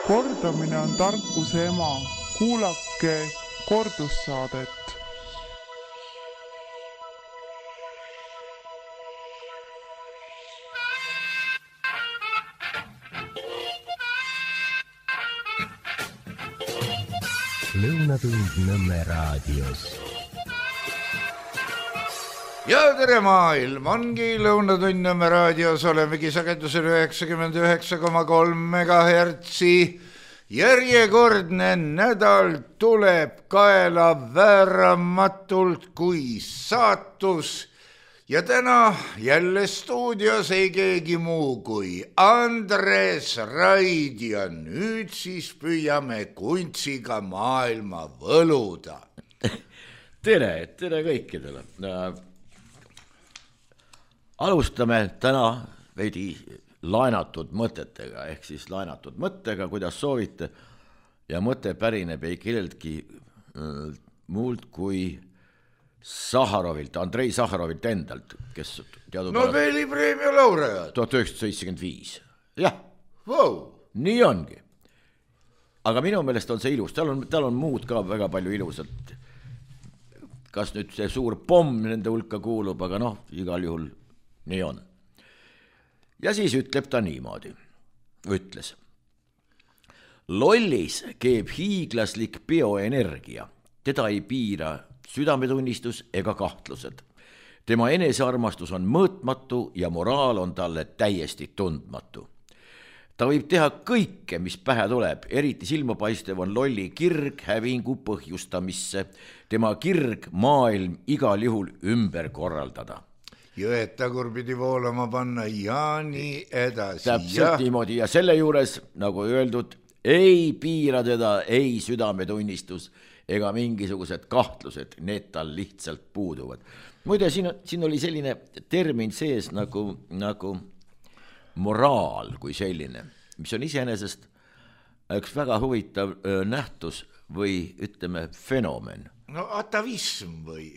Kordamine on tarkuse ema. Kuulake kordussaadet. Lõunatund Nõmme raadios. Ja tere maailm, ongi Lõunatund Nõmme raadios, olemegi sagedusel 99,3 megahertsi. Järjekordne nädal tuleb kaela vääramatult kui saatus. Ja täna jälle stuudios ei keegi muu kui Andres Raid ja nüüd siis püüame kuntsiga maailma võluda. Tere kõikidele. Alustame täna veidi laenatud mõtetega, ehk siis laenatud mõttega, kuidas soovite. Ja mõte pärineb ei kelleltki muult kui Sahharovilt, Andrei Sahharovilt endalt, kes Nobeli preemia laureaat 1975. Jah, wow. Nii ongi. Aga minu meelest on see ilus, tal on muud ka väga palju ilusat. Kas nüüd see suur pomm nende hulka kuulub, aga igal juhul nii on. Ja siis ütleb ta niimoodi, ütles. Lollis keeb hiiglaslik bioenergia, teda ei piira südametunnistus ega kahtlused. Tema enesearmastus on mõõtmatu ja moraal on talle täiesti tundmatu. Ta võib teha kõike, mis pähe tuleb, eriti silmapaistev on lolli kirg hävingu põhjustamisse, tema kirg maailm igal juhul ümber korraldada. Jõed tagurpidi voolama panna ja nii edasi. Täpselt niimoodi ja selle juures, nagu öeldud, ei piira teda ei südametunnistus ega mingisugused kahtlused, need tal lihtsalt puuduvad. Muide, siin oli selline termin sees nagu moraal kui selline, mis on iseenesest üks väga huvitav nähtus või ütleme fenomen. No atavism või?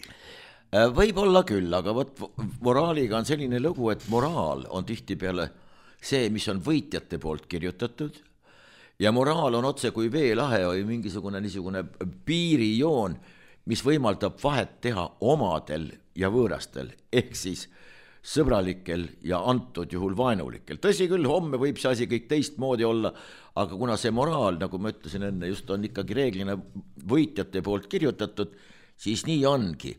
Võib olla küll, aga moraaliga on selline lugu, et moraal on tihtipeale see, mis on võitjate poolt kirjutatud ja moraal on otse kui veelahe või mingisugune niisugune piirijoon, mis võimaldab vahet teha omadel ja võõrastel, ehk siis sõbralikel ja antud juhul vaenulikel. Tõsi küll, homme võib see asi kõik teistmoodi olla, aga kuna see moraal, nagu ma ütlesin enne, just on ikkagi reeglina võitjate poolt kirjutatud, siis nii ongi.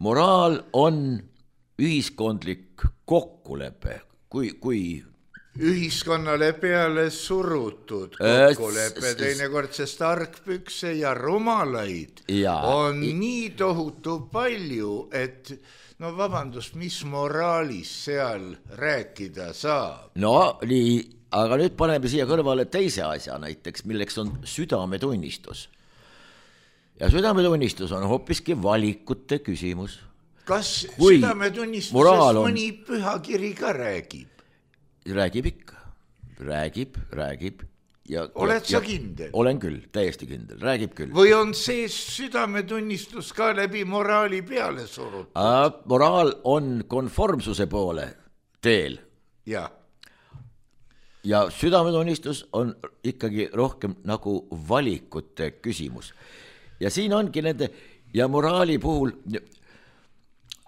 Moraal on ühiskondlik kokkulepe, kui ühiskonnale peale surutud kokkulepe, teinekord sest argpükse ja rumalaid on nii tohutu palju, et vabandust, mis moraalis seal rääkida saab? No nii, aga nüüd paneme siia kõrvale teise asja näiteks, milleks on südametunnistus. Ja südametunnistus on hoopiski valikute küsimus. Kas südametunnistusest mõni pühakiri ka räägib? Räägib ikka, räägib. Oled sa kindel? Olen küll, täiesti kindel, räägib küll. Või on see südametunnistus ka läbi moraali peale surutud? Moraal on konformsuse poole teel. Ja südametunnistus on ikkagi rohkem nagu valikute küsimus. Ja siin ongi nende, ja moraali puhul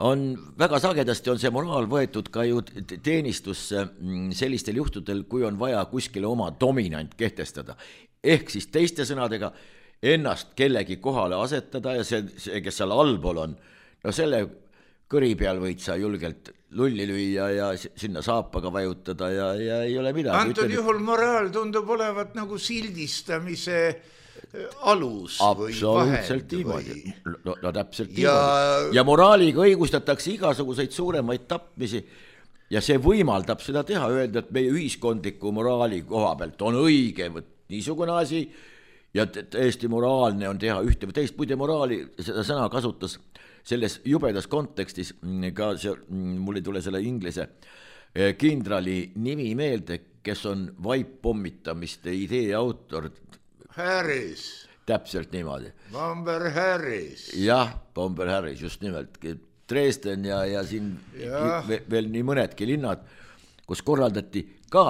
on väga sagedasti on see moraal võetud ka ju teenistusse sellistel juhtudel, kui on vaja kuskile oma dominant kehtestada. Ehk siis teiste sõnadega ennast kellegi kohale asetada ja see, kes seal allpool on, selle kõri peal võid sa julgelt lulli lüüa ja sinna saapaga vajutada ja ei ole midagi. Antud juhul moraal tundub olevat nagu sildistamise alus absoluutselt või vahend. No täpselt niimoodi. Ja moraaliga õigustatakse igasuguseid suuremaid tapmisi ja see võimaldab seda teha, öelda, et meie ühiskondliku moraali koha pealt on õige niisugune asi ja täiesti moraalne on teha ühte või teist. Muide moraali seda sõna kasutas selles jubedas kontekstis ka mul ei tule selle inglise kindrali nimi meelde, kes on vaippommitamiste idee autor. Harris. Täpselt niimoodi. Bomber Harris. Jah, Bomber Harris, just nimelt. Dresden ja siin veel nii mõnedki linnad, kus korraldati ka,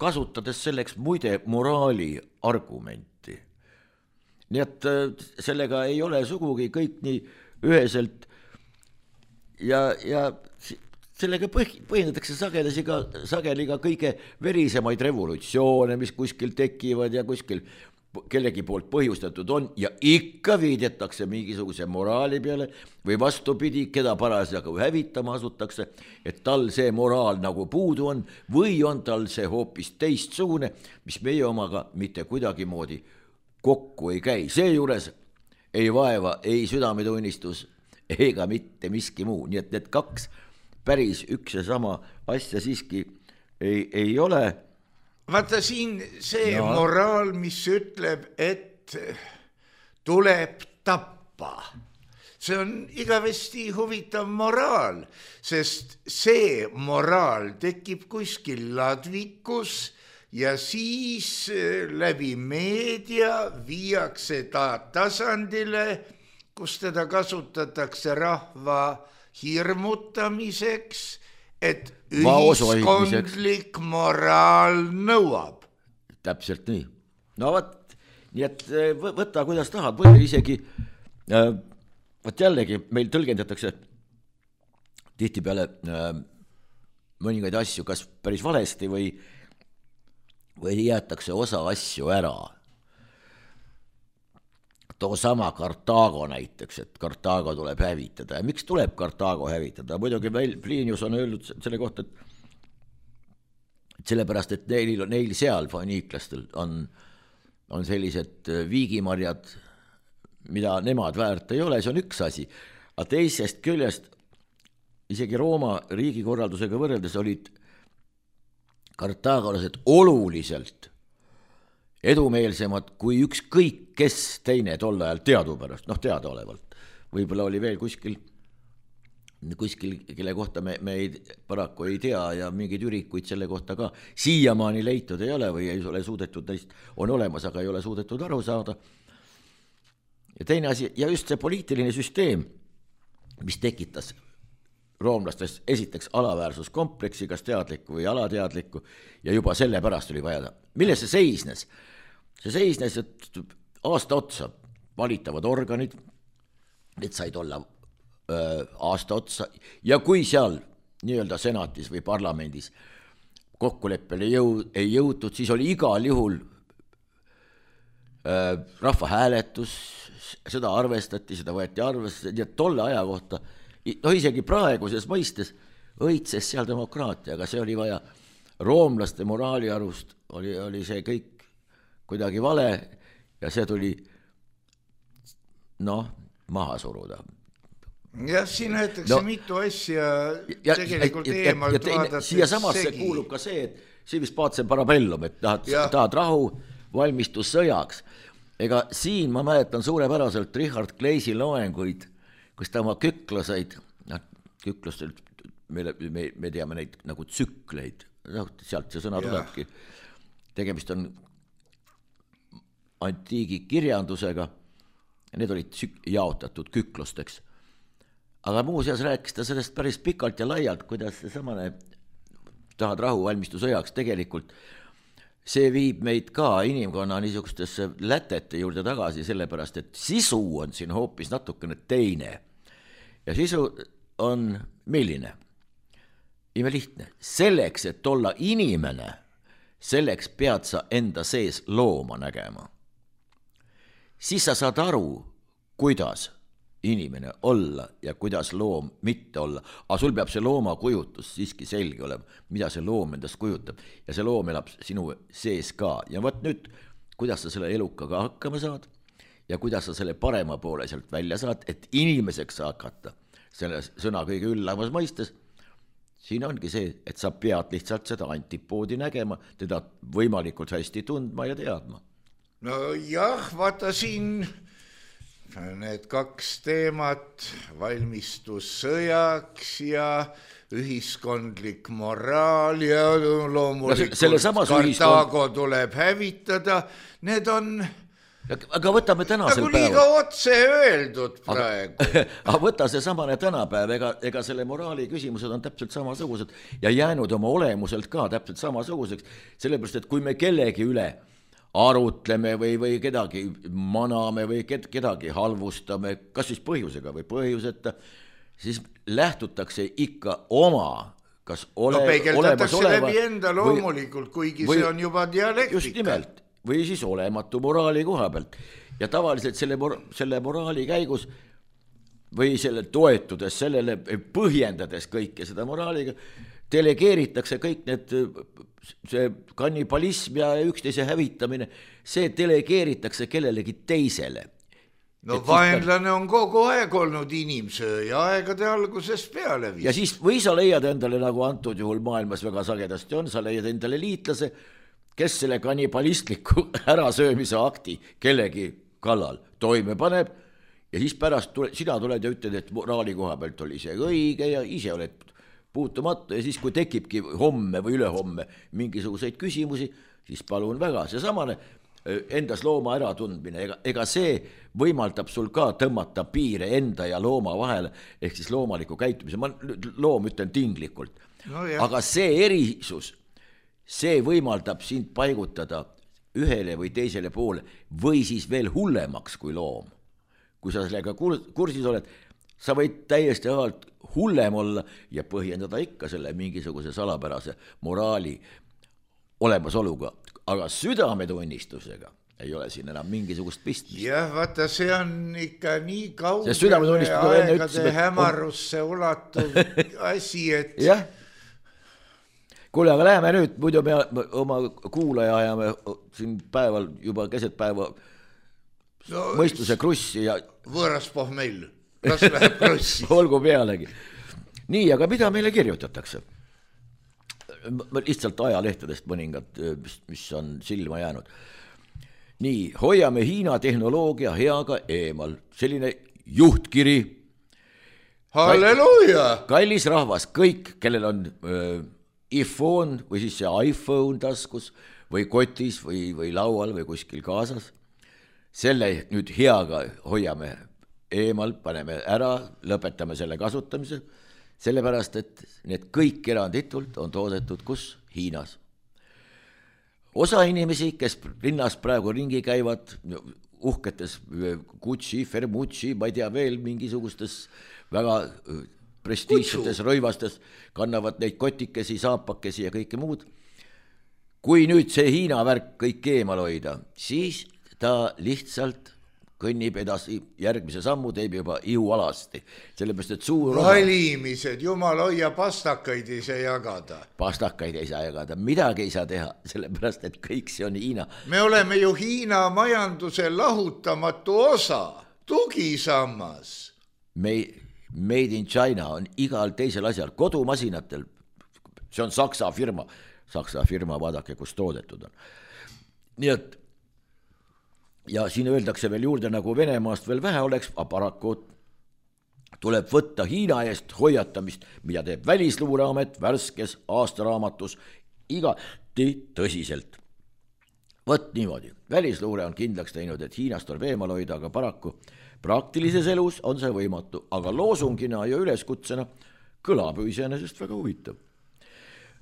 kasutades selleks muide moraali argumenti. Nii et sellega ei ole sugugi kõik nii üheselt ja sellega põhjendatakse sageli ka kõige verisemaid revolutsioone, mis kuskil tekivad ja kuskil kellegi poolt põhjustatud on ja ikka viidetakse mingisuguse moraali peale või vastupidi, keda parasjagu hävitama asutakse, et tal see moraal nagu puudu on või on tal see hoopis teistsugune, mis meie omaga mitte kuidagimoodi kokku ei käi. Seejuures ei vaeva ei südametunnistus ega mitte miski muu, nii et need kaks päris üks ja sama asja siiski ei ole. Vaata siin see moraal, mis ütleb, et tuleb tappa. See on igavesti huvitav moraal, sest see moraal tekib kuskil ladvikus ja siis läbi meedia viiakse ta tasandile, kus teda kasutatakse rahva hirmutamiseks, et ühiskondlik moraal nõuab. Täpselt nii. No võt, nii et võta kuidas tahad, või isegi, võt jällegi meil tõlgendatakse tihtipeale mõningaid asju kas päris valesti või jäetakse osa asju ära. Too sama Kartaago näiteks, et Kartaago tuleb hävitada. Ja miks tuleb Kartaago hävitada? Muidugi Plinius on öelnud selle kohta, et sellepärast, et neil seal foniiklastel on sellised viigimarjad, mida nemad väärt ei ole, see on üks asi. Aga teisest küljest, isegi Rooma riigikorraldusega võrreldes olid kartaagolased oluliselt edumeelsemad kui ükskõik kes teine tol ajal teadupärast, teadaolevalt. Võib-olla oli veel kuskil, kelle kohta me paraku ei tea ja mingeid ürikuid selle kohta ka siiamaani leitud ei ole või ei ole suudetud, neist on olemas, aga ei ole suudetud aru saada. Ja teine asi, ja just see poliitiline süsteem, mis tekitas roomlastes esiteks alaväärsuskompleksi, kas teadlikku või alateadlikku, ja juba selle pärast oli vaja. Milles see seisnes? See seisnes, et aasta otsa valitavad organid, need said olla aasta otsa, ja kui seal nii-öelda senatis või parlamendis kokkuleppele ei jõutud, siis oli igal juhul rahvahääletus, seda arvestati, seda võeti arvestati, ja tolle aja kohta, isegi praeguses mõistes õitses seal demokraatia, aga see oli vaja roomlaste moraali arust, oli see kõik kuidagi vale ja see tuli maha suruda. Jah, siin näetakse mitu asja tegelikult eemalt vaadates. Siia samasse kuulub ka see, et see vist paatse parabellum, et tahad rahu, valmistus sõjaks. Ega siin ma mäletan suurepäraselt Richard Gleisi loenguid, kus ta oma küklaseid, küklustelt, me teame neid nagu tsükleid, sealt see sõna tulebki. Tegemist on antiigi kirjandusega, need olid jaotatud küklusteks. Aga muuseas rääkis ta sellest päris pikalt ja laialt, kuidas see samane tahad rahu valmistu sõjaks tegelikult, see viib meid ka inimkonna niisugustesse lätete juurde tagasi, sellepärast, et sisu on siin hoopis natukene teine. Ja sisu on milline? Imelihtne. Selleks, et olla inimene, selleks pead sa enda sees looma nägema. Siis sa saad aru, kuidas inimene olla ja kuidas loom mitte olla. Aga sul peab see looma kujutus siiski selge olema, mida see loom endast kujutab. Ja see loom elab sinu sees ka. Ja võt nüüd, kuidas sa selle elukaga hakkama saad ja kuidas sa selle parema poole sealt välja saad, et inimeseks hakata selle sõna kõige üllamas mõistes. Siin ongi see, et sa pead lihtsalt seda antipoodi nägema, teda võimalikult hästi tundma ja teadma. No jah, vaata siin need kaks teemat, valmistus sõjaks ja ühiskondlik moraal ja loomulikult Kartaago tuleb hävitada, need on aga võtame tänasel päeval. Liiga otse öeldud praegu. Aga võta see samane tänapäev, ega selle moraali küsimused on täpselt samasugused ja jäänud oma olemuselt ka täpselt samasuguseks, sellepärast, et kui me kellegi üle arutleme või kedagi maname või kedagi halvustame, kas siis põhjusega või põhjuseta, siis lähtutakse ikka oma, kas peegeldatakse läbi enda loomulikult, kuigi see on juba dialektika. Just nimelt, või siis olematu moraali koha pealt. Ja tavaliselt selle moraali käigus või selle toetudes, sellele põhjendades kõike seda moraaliga, delegeeritakse kõik need, see kannibalism ja üksteise hävitamine, see delegeeritakse kellelegi teisele. No vaenlane on kogu aeg olnud inimsööja aegade algusest peale vist. Ja siis või sa leiad endale, nagu antud juhul maailmas väga sagedasti on, sa leiad endale liitlase, kes selle kannibalistliku ärasöömise akti kellegi kallal toime paneb ja siis pärast sina tuled ja ütled, et moraali koha pealt oli see õige ja ise oled puutumatu ja siis, kui tekibki homme või ülehomme mingisuguseid küsimusi, siis palun väga, see samane endas looma äratundmine, ega see võimaldab sul ka tõmmata piire enda ja looma vahele, ehk siis loomaliku käitumise, ma loom ütlen tinglikult, aga see erisus, see võimaldab sind paigutada ühele või teisele poole või siis veel hullemaks kui loom. Kui sa sellega kursis oled, sa võid täiesti avalt hullem olla ja põhjendada ikka selle mingisuguse salapärase moraali olemasoluga, aga südametunnistusega ei ole siin enam mingisugust pistmist. Jah, vaata, see on ikka nii kaugele aegade hämarusse ulatuv asi, et... Jah. Kuule, aga läheme nüüd, muidu me oma kuulaja ajame siin päeval juba keset päeva mõistuse krussi ja... Võõras pohmell, kas läheb krussi? Olgu pealegi. Nii, aga mida meile kirjutatakse? Lihtsalt ajalehtedest mõningad, mis on silma jäänud. Nii, hoiame Hiina tehnoloogia heaga eemal. Selline juhtkiri. Halleluuja! Kallis rahvas, kõik, kellel on iPhone või siis see iPhone taskus või kotis või laual või kuskil kaasas, selle nüüd heaga hoiame eemal, paneme ära, lõpetame selle kasutamise, sellepärast, et need kõik eranditult on toodetud kus? Hiinas. Osa inimesi, kes linnas praegu ringi käivad, uhketes Gucci, Fermucci, ma ei tea veel mingisugustes väga prestiižsetes rõivastes, kannavad neid kotikesi, saapakesi ja kõike muud. Kui nüüd see Hiina värk kõik eemal hoida, siis ta lihtsalt kõnnib edasi, järgmise sammu teeb juba ihualasti. Sellepärast, et suur valimised, jumal hoia, pastakaid ei saa jagada. Pastakaid ei saa jagada, midagi ei saa teha, sellepärast, et kõik see on Hiina. Me oleme ju Hiina majanduse lahutamatu osa, tugisammas. Made in China on igal teisel asjal, kodumasinatel, see on Saksa firma, vaadake, kus toodetud on. Nii et ja siin öeldakse veel juurde, nagu Venemaast veel vähe oleks, paraku tuleb võtta Hiina eest hoiatamist, mida teeb Välisluureamet värskes aastaraamatus igati tõsiselt. Võt niimoodi, Välisluure on kindlaks teinud, et Hiinast tuleb eemal hoida, aga paraku praktilises elus on see võimatu, aga loosungina ja üleskutsena kõlab iseenesest väga huvitav.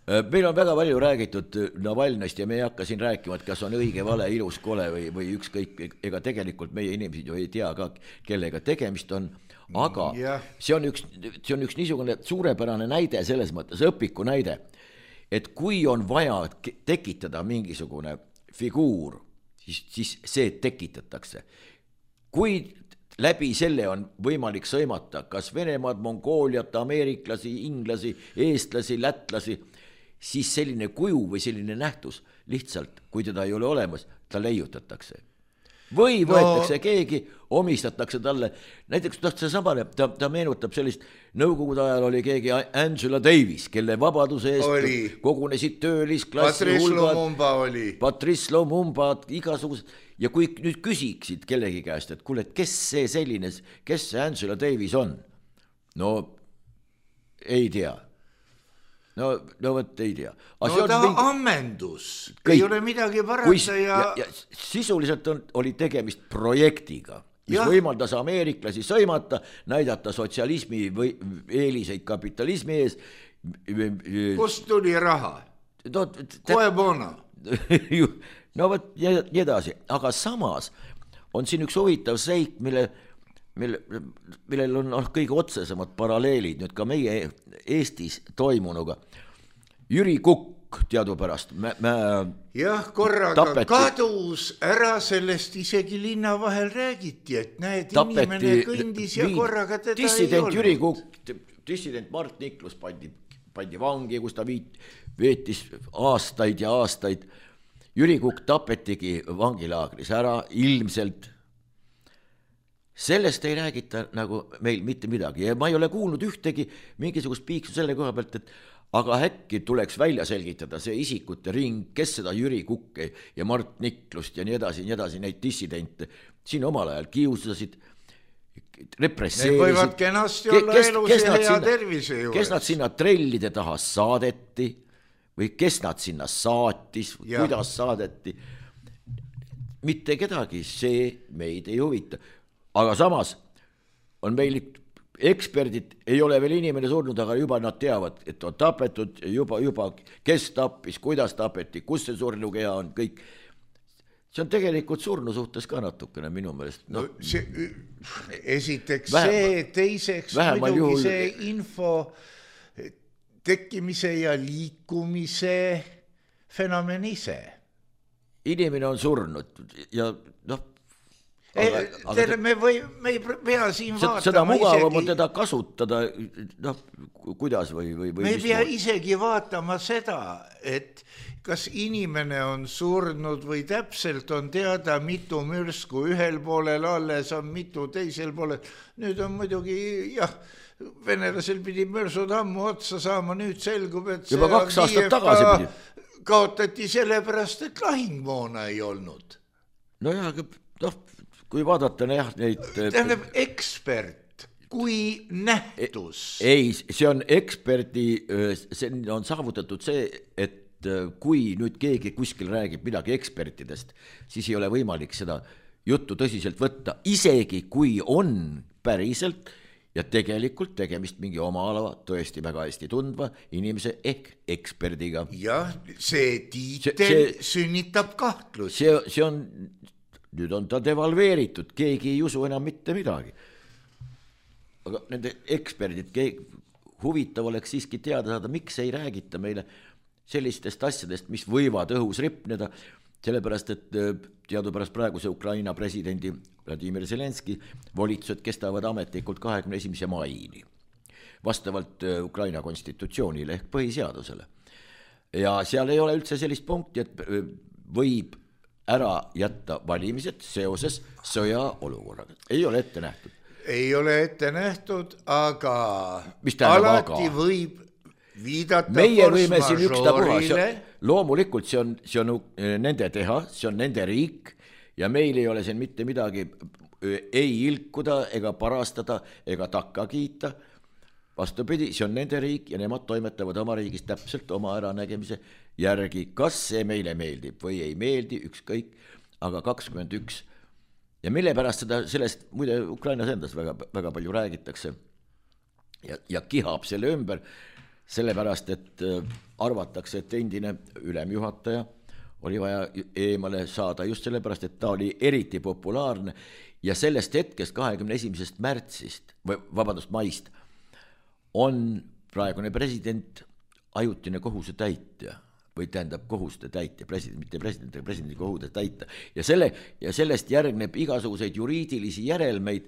Meil on väga palju räägitud Navalnõist ja me ei hakka siin rääkima, et kas on õige, vale, ilus, kole või ükskõik, ega tegelikult meie inimesed ju ei tea ka, kellega tegemist on, aga see on üks niisugune suurepärane näide selles mõttes, õpiku näide, et kui on vaja tekitada mingisugune figuur, siis see tekitatakse. Kui läbi selle on võimalik sõimata kas Venemaad, Mongooliat, ameeriklasi, inglasi, eestlasi, lätlasi, siis selline kuju või selline nähtus lihtsalt, kui teda ei ole olemas, ta leiutatakse. Või võetakse keegi, omistatakse talle, näiteks see samane, ta meenutab sellist, nõukogude ajal oli keegi Angela Davis, kelle vabaduse eest kogunesid töölisklassi hulgad, Patrice Lumumba, igasugused, ja kui nüüd küsiksid kellegi käest, et kuule, kes see selline, kes see Angela Davis on? No ei tea. No võt ei tea. No ta ammendus, ei ole midagi parata ja sisuliselt oli tegemist projektiga, mis võimaldas ameeriklasi sõimata, näidata sotsialismi või eeliseid kapitalismi ees. Kust tuli raha? Koe bono? no võt, nii edasi, aga samas on siin üks huvitav seik, millel on kõige otsesemad paralleelid nüüd ka meie Eestis toimunuga. Jüri Kukk teadupärast jah, korraga kadus ära, sellest isegi linna vahel räägiti, et näed, inimene kõndis ja korraga teda dissident ei olnud. Jüri Kukk, dissident Mart Niklus pandi vangi, kus ta veetis aastaid ja aastaid. Jüri Kukk tapetigi vangilaagris ära, ilmselt. Sellest ei räägita nagu meil mitte midagi ja ma ei ole kuulnud ühtegi mingisugust piiksu selle koha pealt, et aga äkki tuleks välja selgitada see isikute ring, kes seda Jüri Kukke ja Mart Niklust ja nii edasi, neid dissidente siin omal ajal kiusasid, represseerisid. Need võivad kenasti olla elus ja hea tervise juures. Kes nad sinna trellide taha saadeti või kes nad sinna saatis, kuidas saadeti. Mitte kedagi, see meid ei huvita. Aga samas on meil eksperdid, ei ole veel inimene surnud, aga juba nad teavad, et on tapetud, juba kes tappis, kuidas tapeti, kus see surnukeha on, kõik. See on tegelikult surnu suhtes ka natukene minu meelest. No, esiteks see, teiseks muidugi see info tekkimise ja liikumise fenomen ise. Inimene on surnud ja me ei pea siin vaatama seda mugavam on teda kasutada, kuidas või me ei pea isegi vaatama seda, et kas inimene on surnud või täpselt on teada, mitu mürsku ühel poolel alles on, mitu teisel poolel. Nüüd on muidugi, jah, venelasel pidi mürsud ammu otsa saama, nüüd selgub, et juba 2 aastat tagasi pidi. Kaotati sellepärast, et lahingmoona ei olnud. No jah, kui vaadata neid... Tähendab, ekspert kui nähtus. Ei, see on eksperdi, see on saavutatud see, et kui nüüd keegi kuskil räägib midagi ekspertidest, siis ei ole võimalik seda juttu tõsiselt võtta, isegi kui on päriselt ja tegelikult tegemist mingi oma ala tõesti väga hästi tundva inimese ehk eksperdiga. Jah, see tiitel sünnitab kahtlusi. See on... Nüüd on ta devalveeritud, keegi ei usu enam mitte midagi. Aga nende eksperdid, huvitav oleks siiski teada saada, miks ei räägita meile sellistest asjadest, mis võivad õhus ripneda, sellepärast, et teadupärast praeguse Ukraina presidendi Vladimir Zelenski volitused kestavad ametlikult 21. maini, vastavalt Ukraina konstitutsioonile ehk põhiseadusele. Ja seal ei ole üldse sellist punkti, et võib ära jätta valimised seoses sõja olukorraga. Ei ole ette nähtud. Ei ole ette nähtud, aga alati võib viidata meie võime siin ükstapuha. Loomulikult see on nende teha, see on nende riik ja meil ei ole siin mitte midagi ei ilkuda ega parastada ega takka kiita. Vastupidi, see on nende riik ja nemad toimetavad oma riigis täpselt oma äranägemise järgi. Kas see meile meeldib või ei meeldi, ükskõik, aga 21. Ja mille pärast sellest muide Ukrainas endas väga, väga palju räägitakse ja kihab selle ümber, sellepärast, et arvatakse, et endine ülemjuhataja oli vaja eemale saada just sellepärast, et ta oli eriti populaarne ja sellest hetkest 21. märtsist, maist, on praegune president ajutine kohuse täitja või tähendab kohuste täitja, mitte presidendi kohuse täita ja sellest järgneb igasuguseid juriidilisi järelmeid,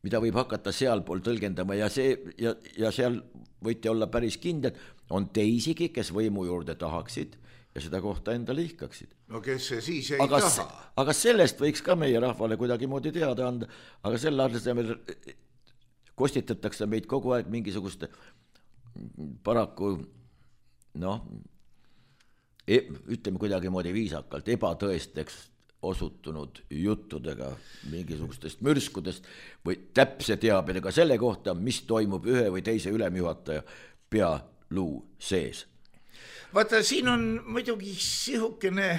mida võib hakata sealpool tõlgendama ja seal võite olla päris kindlad, on teisigi, kes võimu juurde tahaksid ja seda kohta enda lihkaksid. No kes see siis ei taha? Aga sellest võiks ka meie rahvale kuidagi moodi teada anda, aga selle asemel kostitatakse meid kogu aeg mingisuguste paraku ütleme kuidagi moodi viisakalt ebatõesteks osutunud juttudega mingisugustest mürskudest või täpse teabedega selle kohta, mis toimub ühe või teise ülemjuhataja pealuu sees. Vaata, siin on muidugi sihukene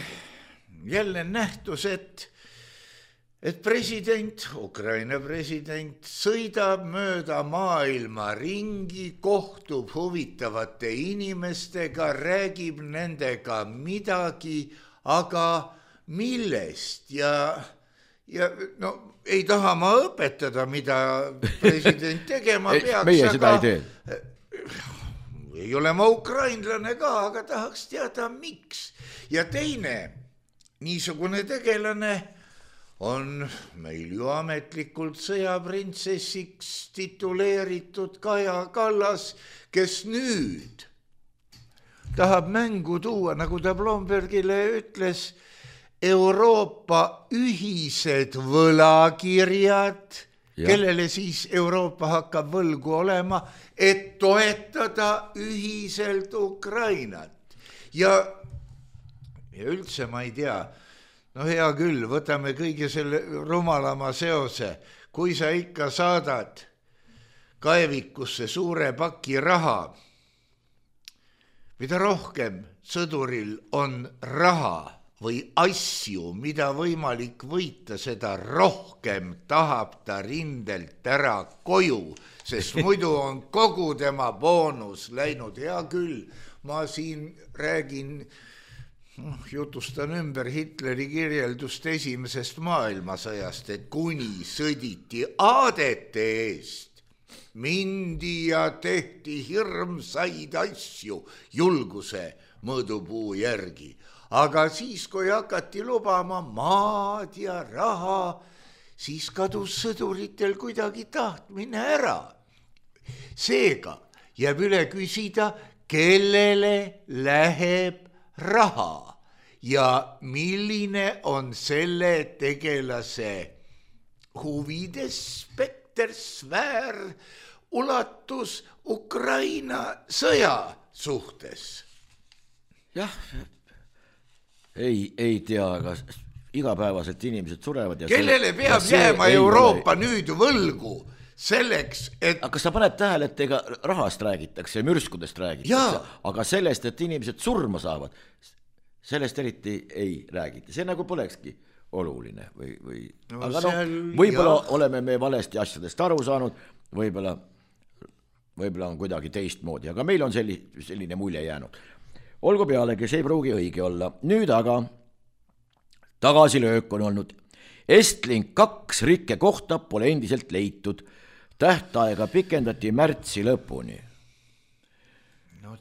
jälle nähtus, et et Ukraina president sõidab mööda maailma ringi, kohtub huvitavate inimestega, räägib nendega midagi, aga millest ja no ei taha ma õpetada, mida president tegema peaks. Meie seda ei tee. Ei ole ma ukrainlane ka, aga tahaks teada, miks. Ja teine niisugune tegelane on meil ju ametlikult sõjaprintsessiks tituleeritud Kaja Kallas, kes nüüd tahab mängu tuua, nagu ta Blombergile ütles, Euroopa ühised võlakirjad, kellele siis Euroopa hakkab võlgu olema, et toetada ühiselt Ukrainat. Ja üldse ma ei tea, no hea küll, võtame kõige selle rumalama seose. Kui sa ikka saadad kaevikusse suure paki raha, mida rohkem sõduril on raha või asju, mida võimalik võita, seda rohkem tahab ta rindelt ära koju, sest muidu on kogu tema boonus läinud. Hea küll, ma siin räägin, jutustan ümber Hitleri kirjeldust esimesest maailmasõjast, et kuni sõditi aadete eest, mindi ja tehti hirmsaid asju julguse mõõdupuu järgi. Aga siis, kui hakati lubama maad ja raha, siis kadus sõduritel kuidagi tahtmine ära. Seega jääb üle küsida, kellele läheb raha ja milline on selle tegelase huvides spekter, sfäär, ulatus Ukraina sõja suhtes. Jah, ei tea, aga igapäevaselt inimesed surevad. Kellele peab jääma Euroopa nüüd võlgu selleks, et... Aga kas sa paned tähele, et ega rahast räägitakse ja mürskudest räägitakse, aga sellest, et inimesed surma saavad, sellest eriti ei räägita. See nagu polekski oluline. Aga võib-olla oleme me valesti asjadest aru saanud, võib-olla on kuidagi teistmoodi, aga meil on selline mulje jäänud. Olgu pealegi, see ei pruugi õige olla. Nüüd aga tagasilöök on olnud. Estlink 2 rikke kohta pole endiselt leitud. Tähtaega pikendati märtsi lõpuni.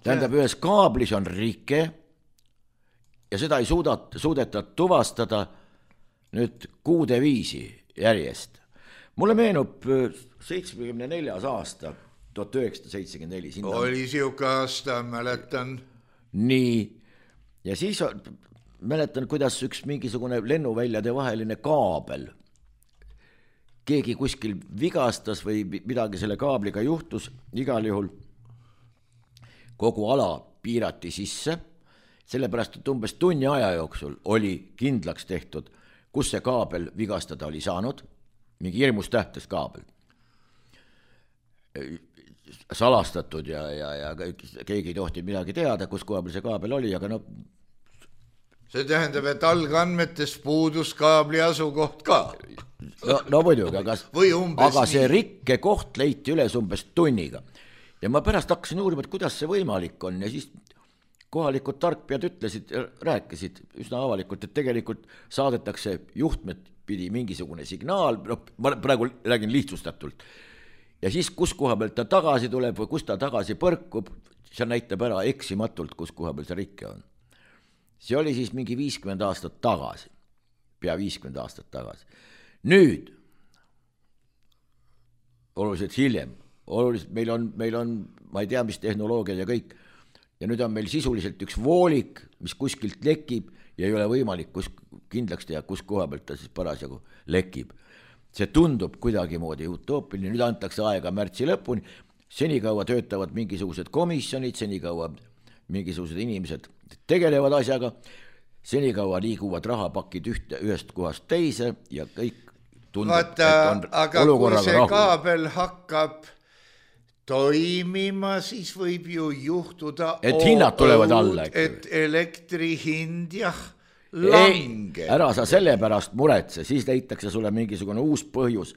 Tähendab, ühes kaablis on rike ja seda ei suudeta tuvastada nüüd kuude viisi järjest. Mulle meenub 74. aasta, 1974. Oli siuke aasta, mäletan. Nii, ja siis mäletan, kuidas üks mingisugune lennuväljade vaheline kaabel, keegi kuskil vigastas või midagi selle kaabliga juhtus, igal juhul kogu ala piirati sisse, sellepärast, et umbes tunni aja jooksul oli kindlaks tehtud, kus see kaabel vigastada oli saanud, mingi hirmus tähtis kaabel. Salastatud ja keegi ei tohtinud midagi teada, kus koha peal see kaabel oli, aga no... See tähendab, et algandmetes puudus kaabli asukoht ka. No muidugi, aga see rikke koht leiti üles umbes tunniga. Ja ma pärast hakkasin uurima, et kuidas see võimalik on ja siis kohalikud tarkpead rääkisid üsna avalikult, et tegelikult saadetakse juhtmed pidi mingisugune signaal, ma praegu räägin lihtsustatult. Ja siis, kus koha pealt ta tagasi tuleb või kus ta tagasi põrkub, see näitab ära eksimatult, kus koha peal see rikke on. See oli siis mingi 50 aastat tagasi, pea 50 aastat tagasi. Nüüd, oluliselt hiljem, meil on, ma ei tea, mis tehnoloogiad ja kõik, ja nüüd on meil sisuliselt üks voolik, mis kuskilt lekib ja ei ole võimalik kindlaks teha, kus koha pealt ta siis parasjagu lekib. See tundub kuidagi moodi utoopiline, nüüd antakse aega märtsi lõpuni, senikaua töötavad mingisugused komisjonid, senikaua mingisugused inimesed tegelevad asjaga, senikaua liiguvad rahapakid ühest kohast teise ja kõik tundub, et on aga kui see kaabel hakkab toimima, siis võib ju juhtuda, et hinnad tulevad alla, et elektri hind lange. Ära sa selle pärast muretse, siis leitakse sulle mingisugune uus põhjus,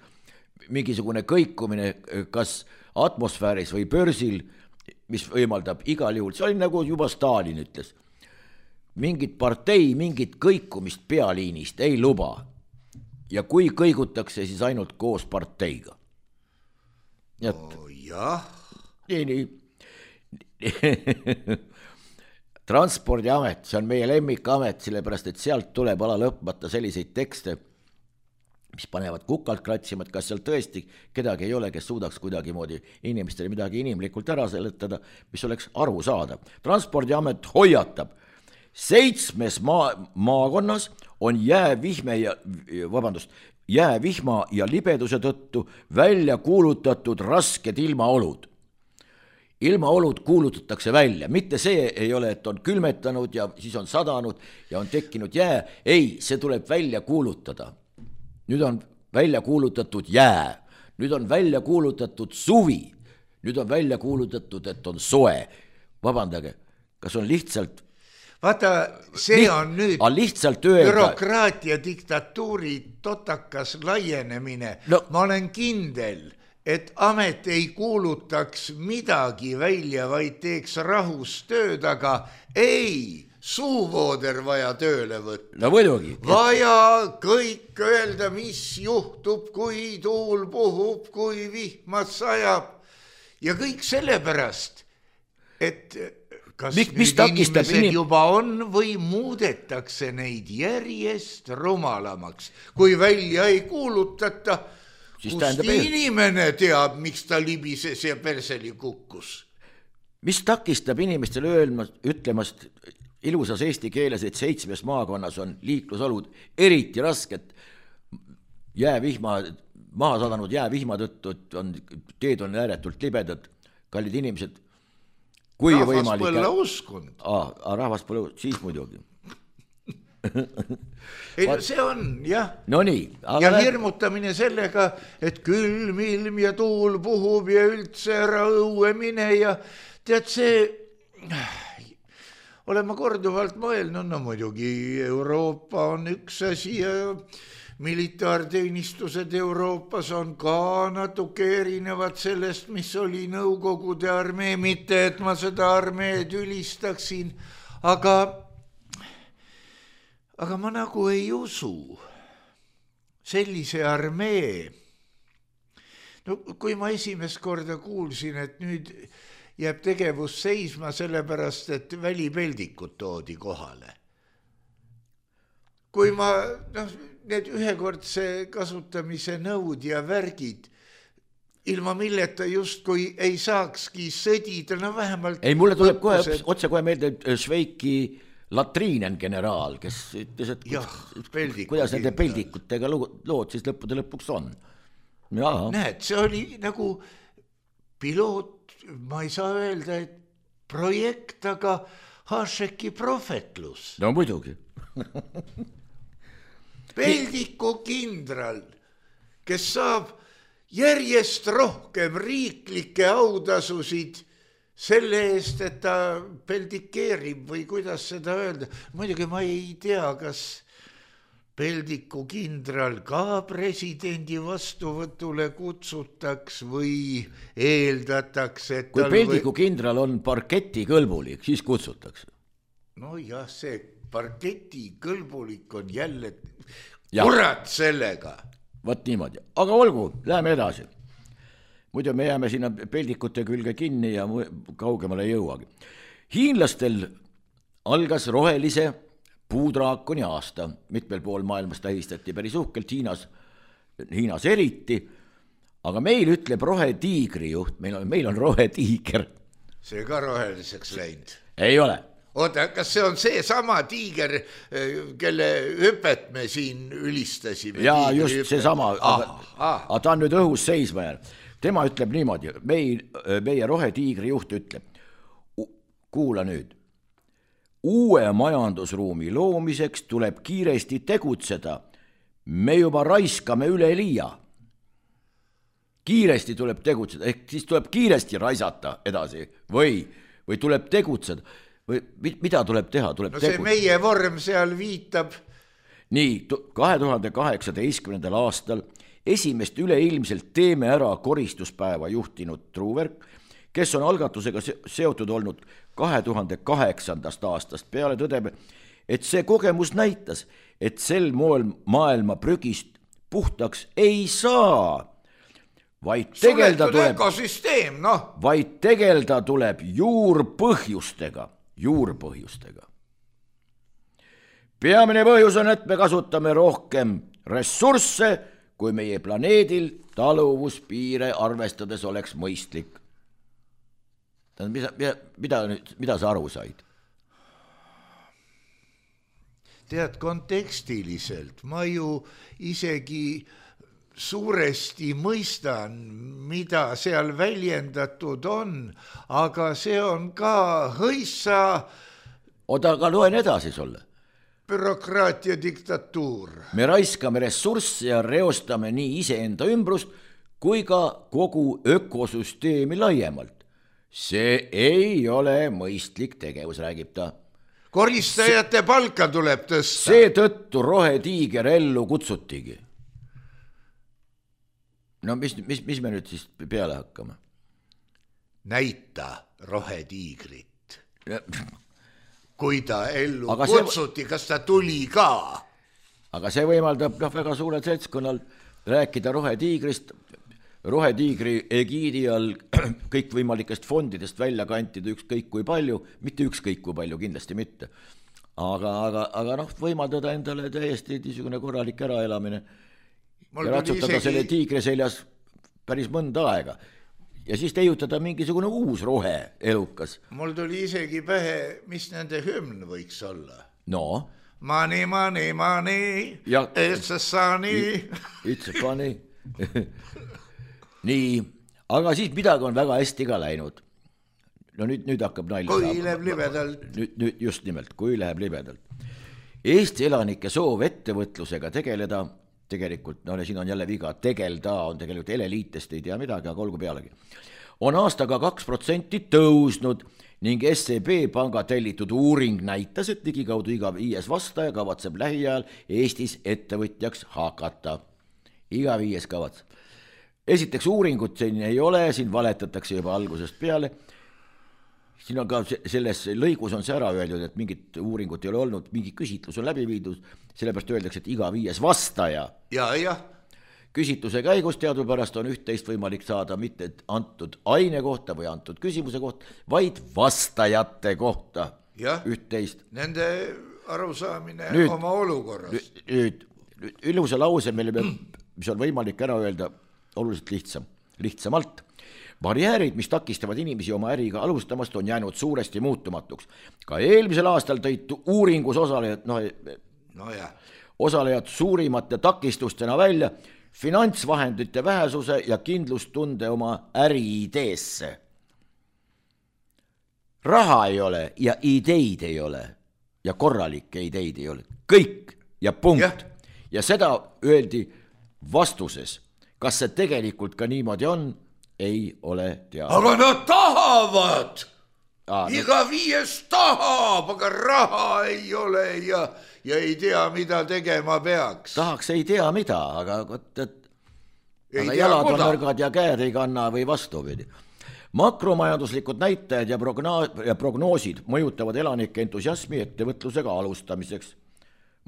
mingisugune kõikumine kas atmosfääris või börsil, mis võimaldab igal juhul, see oli nagu juba Stalin ütles, mingit partei, mingit kõikumist pealiinist ei luba. Ja kui kõigutakse, siis ainult koos parteiga. Jah. Nii. Transpordiamet, see on meie lemmikamet, sellepärast, et sealt tuleb ala lõpmata selliseid tekste, mis panevad kukalt kratsima, et kas seal tõesti kedagi ei ole, kes suudaks kuidagi moodi inimestele midagi inimlikult ära seletada, mis oleks aru saada. Transpordiamet hoiatab, 7 maakonnas on jäävihma ja libeduse tõttu välja kuulutatud rasked ilmaolud. Ilmaolud kuulutatakse välja, mitte see ei ole, et on külmetanud ja siis on sadanud ja on tekkinud jää, ei, see tuleb välja kuulutada. Nüüd on välja kuulutatud jää, nüüd on välja kuulutatud suvi, nüüd on välja kuulutatud, et on soe. Vabandage, kas on lihtsalt... Vaata, see on nüüd lihtsalt öelda... bürokraatia diktatuuri totakas laienemine. No. Ma olen kindel, et amet ei kuulutaks midagi välja, vaid teeks rahus tööd, aga ei... Suuvooder vaja tööle võtta. No muidugi. Vaja kõik öelda, mis juhtub, kui tuul puhub, kui vihmas sajab. Ja kõik sellepärast, et kas nüüd inimesed juba on või muudetakse neid järjest rumalamaks. Kui välja ei kuulutata, kust inimene teab, miks ta libises ja perseli kukkus. Mis takistab inimestele ütlemast ilusas eesti keeles, et 7 maakonnas on liiklusolud eriti rasked maha sadanud jäävihma tõttu, et teed on ääretult libedad, kallid inimesed. Kui rahvas põlla uskund. Rahvas põlla uskund, siis muidugi. Ei, see on, jah. No nii. Ja hirmutamine sellega, et külm ilm ja tuul puhub ja üldse ära õue mine ja tead see... Olen ma korduvalt mõelnud, no muidugi Euroopa on üks asi ja militaarteenistused Euroopas on ka natuke erinevad sellest, mis oli Nõukogude armee, mitte et ma seda armeed ülistaksin, aga ma nagu ei usu sellise armee. No kui ma esimest korda kuulsin, et nüüd jääb tegevus seisma sellepärast, et välipeldikud toodi kohale. Kui ma, need ühekordse kasutamise nõud ja värgid, ilma milleta justkui ei saakski sõdida, no vähemalt... Ei, mulle tuleb otse kohe meelde Šveiki latriinen generaal, kes ütles, et kuidas nende peldikutega lood siis lõppude lõpuks on. Näed, see oli nagu piloot, ma ei saa öelda, et projekt, aga Hašeki prohvetlus. No muidugi. Peldiku kindral, kes saab järjest rohkem riiklikke autasusid selle eest, et ta peldikeerib või kuidas seda öelda. Muidugi ma ei tea, kas Peldiku kindral ka presidendi vastuvõtule kutsutaks või eeldatakse, et kui Peldiku kindral on parketi kõlbulik, siis kutsutakse. No jah, see parketi kõlbulik on jälle kurat sellega. Võt niimoodi, aga olgu, läheme edasi. Muidu me jääme sinna peldikute külge kinni ja kaugemale ei jõuagi. Hiinlastel algas rohelise puudraakoni aasta, mitmel pool maailmas tähistati päris uhkelt, Hiinas eriti, aga meil ütleb rohetiigri juht, meil on rohetiiger. See ka roheliseks läinud? Ei ole. Oota, kas see on see sama tiiger, kelle hüpet me siin ülistasime? Jaa, just see sama, aga ta on nüüd õhus seisma jäänud. Tema ütleb niimoodi, meie rohetiigri juht ütleb, kuula nüüd, uue majandusruumi loomiseks tuleb kiiresti tegutseda. Me juba raiskame üle liia. Kiiresti tuleb tegutseda, ehk siis tuleb kiiresti raisata edasi või tuleb tegutseda. või mida tuleb teha, tuleb see meie vorm seal viitab. Nii, 2018. aastal esimest üleilmselt Teeme ära koristuspäeva juhtinud Truuverk, kes on algatusega seotud olnud 2008. aastast peale, tõdeb, et see kogemus näitas, et sel moel maailma prügist puhtaks ei saa, vaid tegelda tuleb juurpõhjustega. Peamine põhjus on, et me kasutame rohkem ressursse, kui meie planeedil taluvuspiire arvestades oleks mõistlik. Mida sa aru said? Tead, kontekstiliselt ma ju isegi suuresti mõistan, mida seal väljendatud on, aga see on ka hõissa Oda, aga loen edasi sulle. Bürokraatia diktatuur. Me raiskame ressursse ja reostame nii iseenda ümbrust kui ka kogu ökosüsteemi laiemalt. See ei ole mõistlik tegevus, räägib ta. Koristajate palka tuleb tõsta. Seetõttu rohetiiger ellu kutsutigi. No mis me nüüd siis peale hakkame? Näita rohetiigrit. Kui ta ellu kutsuti, kas ta tuli ka? Aga see võimaldab väga suurel seltskonnal rääkida rohetiigrist, rohetiigri egiidi all kõikvõimalikest fondidest välja kantida ükskõik kui palju, mitte ükskõik kui palju, kindlasti mitte. Aga võimaldada endale täiesti niisugune korralik äraelamine ja ratsutada selle tiigri seljas päris mõnda aega. Ja siis teiutada mingisugune uus rohe-elukas. Mul tuli isegi pähe, mis nende hümn võiks olla. No? Money, it's a sunny. It's a funny. Nii, aga siis midagi on väga hästi ka läinud. No nüüd hakkab nalja. Kui läheb libedalt. Nüüd just nimelt, kui läheb libedalt. Eesti elanike soov ettevõtlusega tegeleda, tegelikult, siin on jälle viga, tegelda on tegelikult eleliitest, ei tea midagi, aga olgu pealegi. On aastaga 2% tõusnud ning SEB panga tellitud uuring näitas, et ligikaudu iga 5. vastaja kavatseb lähiajal Eestis ettevõtjaks hakata. Iga 5 kavatseb. Esiteks uuringut siin ei ole, siin valetatakse juba algusest peale. Siin on ka selles lõigus on see ära öeldud, et mingit uuringut ei ole olnud, mingi küsitlus on läbi viidud, sellepärast öeldakse, et iga 5. vastaja. Ja. Küsitluse käigus teadupärast on üht-teist võimalik saada mitte antud aine kohta või antud küsimuse kohta, vaid vastajate kohta. Üht-teist. Nende arusaamine oma olukorrast. Nüüd ilusa lause, mis on võimalik ära öelda oluliselt lihtsamalt. Barjäärid, mis takistavad inimesi oma äriga alustamast, on jäänud suuresti muutumatuks. Ka eelmisel aastal tõid uuringus osalejad suurimate takistustena välja finantsvahendite vähesuse ja kindlustunde oma äriideesse. Raha ei ole ja ideid ei ole ja korralikke ideid ei ole. Kõik ja punkt. Ja seda öeldi vastuses. Kas see tegelikult ka niimoodi on? Ei ole teada. Aga nad tahavad! Iga 5 tahab, aga raha ei ole ja ei tea, mida tegema peaks. Tahaks ei tea mida, aga jalad on nõrgad ja käed ei kanna või vastupidi. Makromajanduslikud näitajad ja prognoosid mõjutavad elanike entusiasmi ettevõtlusega alustamiseks.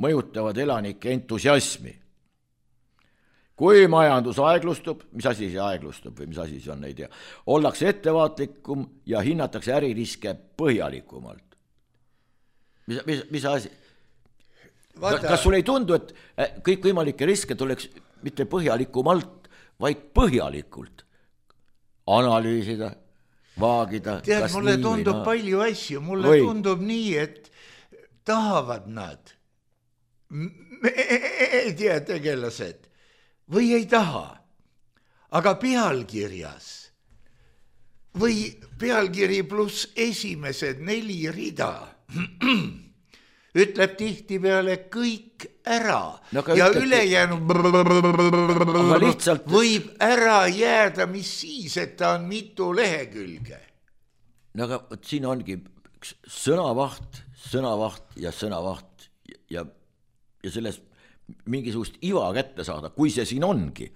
Mõjutavad elanike entusiasmi. Kui majandus aeglustub, mis asi see aeglustub või mis asi see on, ei tea, ollakse ettevaatlikum ja hinnatakse äririske põhjalikumalt. Mis asi? Kas sul ei tundu, et kõik võimalikke riske tuleks mitte põhjalikumalt, vaid põhjalikult analüüsida, vaagida? Tead, mulle tundub palju asju, mulle tundub nii, et tahavad nad, ei tea tegelased, või ei taha, aga pealkirjas või pealkiri pluss esimesed 4 rida ütleb tihtipeale kõik ära ja ülejäänud võib ära jääda, mis siis, et ta on mitu lehekülge. No aga siin ongi üks sõnavaht ja sõnavaht ja sellest mingisugust iva kätte saada, kui see siin ongi,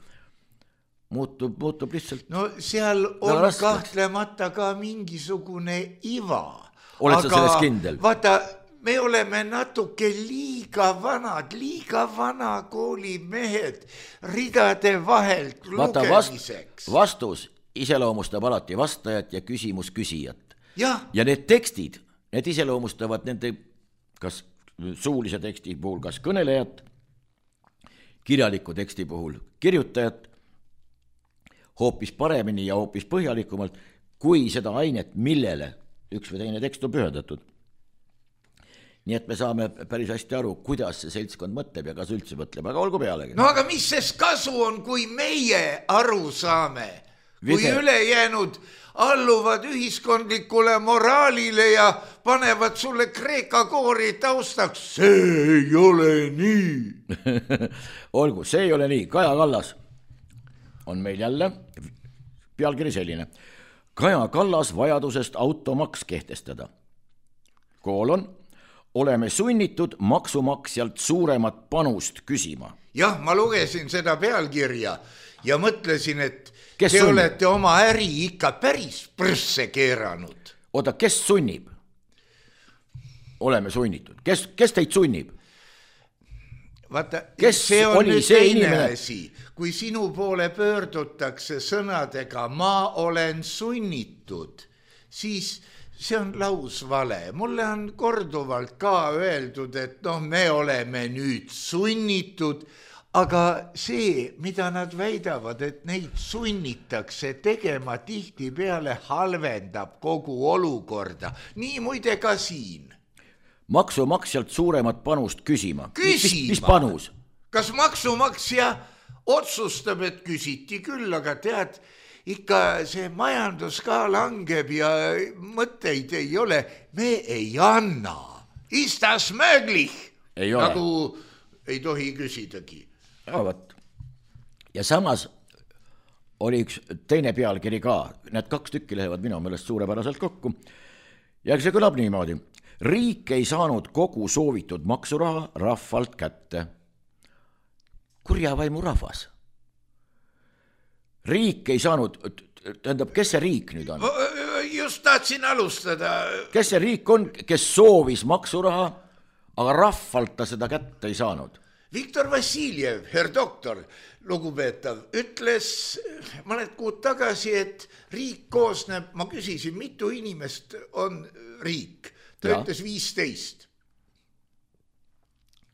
muutub lihtsalt. No seal on kahtlemata ka mingisugune iva. Oled sa selles kindel? Vaata, me oleme natuke liiga vana koolimehed ridade vahelt lugemiseks. Vastus iseloomustab alati vastajat ja küsimus küsijat. Ja need tekstid, need iseloomustavad nende kas suulise teksti puhul kas kõnelejat, kirjaliku teksti puhul kirjutajat hoopis paremini ja hoopis põhjalikumalt kui seda ainet, millele üks või teine tekst on pühendatud. Nii et me saame päris hästi aru, kuidas see seltskond mõtleb ja kas üldse mõtleb, aga olgu pealegi. No aga mis sest kasu on, kui meie aru saame, kui ülejäänud alluvad ühiskondlikule moraalile ja panevad sulle kreeka koori taustaks? See ei ole nii. Olgu, see ei ole nii. Kaja Kallas on meil jälle pealkiri selline. Kaja Kallas vajadusest automaks kehtestada. Oleme sunnitud maksumaksjalt suuremat panust küsima. Jah, ma lugesin seda pealkirja ja mõtlesin, et te olete oma äri ikka päris prsse keeranud. Oota, kes sunnib? Oleme sunnitud. Kes teid sunnib? Vaata, see on nüüd teine asi. Kui sinu poole pöördutakse sõnadega ma olen sunnitud, siis see on lausvale. Mulle on korduvalt ka öeldud, et me oleme nüüd sunnitud, aga see, mida nad väidavad, et neid sunnitakse tegema, tihti peale halvendab kogu olukorda. Nii muide ka siin. Maksumaksjalt suuremat panust küsima. Mis panus? Kas maksumaksja otsustab, et küsiti küll, aga tead, ikka see majandus ka langeb ja mõtteid ei ole. Me ei anna. Ist das möglich? Ei ole. Nagu ei tohi küsidagi. Ja samas oli üks teine pealkiri ka. Need 2 tükki lähevad minu meelest suurepäraselt kokku. Ja see kõlab niimoodi. Riik ei saanud kogu soovitud maksuraha rahvalt kätte. Kurjavaimu rahvas. Riik ei saanud, tähendab, kes see riik nüüd on? Just tahtsin alustada. Kes see riik on, kes soovis maksuraha, aga rahvalt ta seda kätte ei saanud? Viktor Vassiljev, herr doktor, lugupeetav, ütles mõned kuud tagasi, et riik koosneb, ma küsisin, mitu inimest on riik? Ta ütles 15.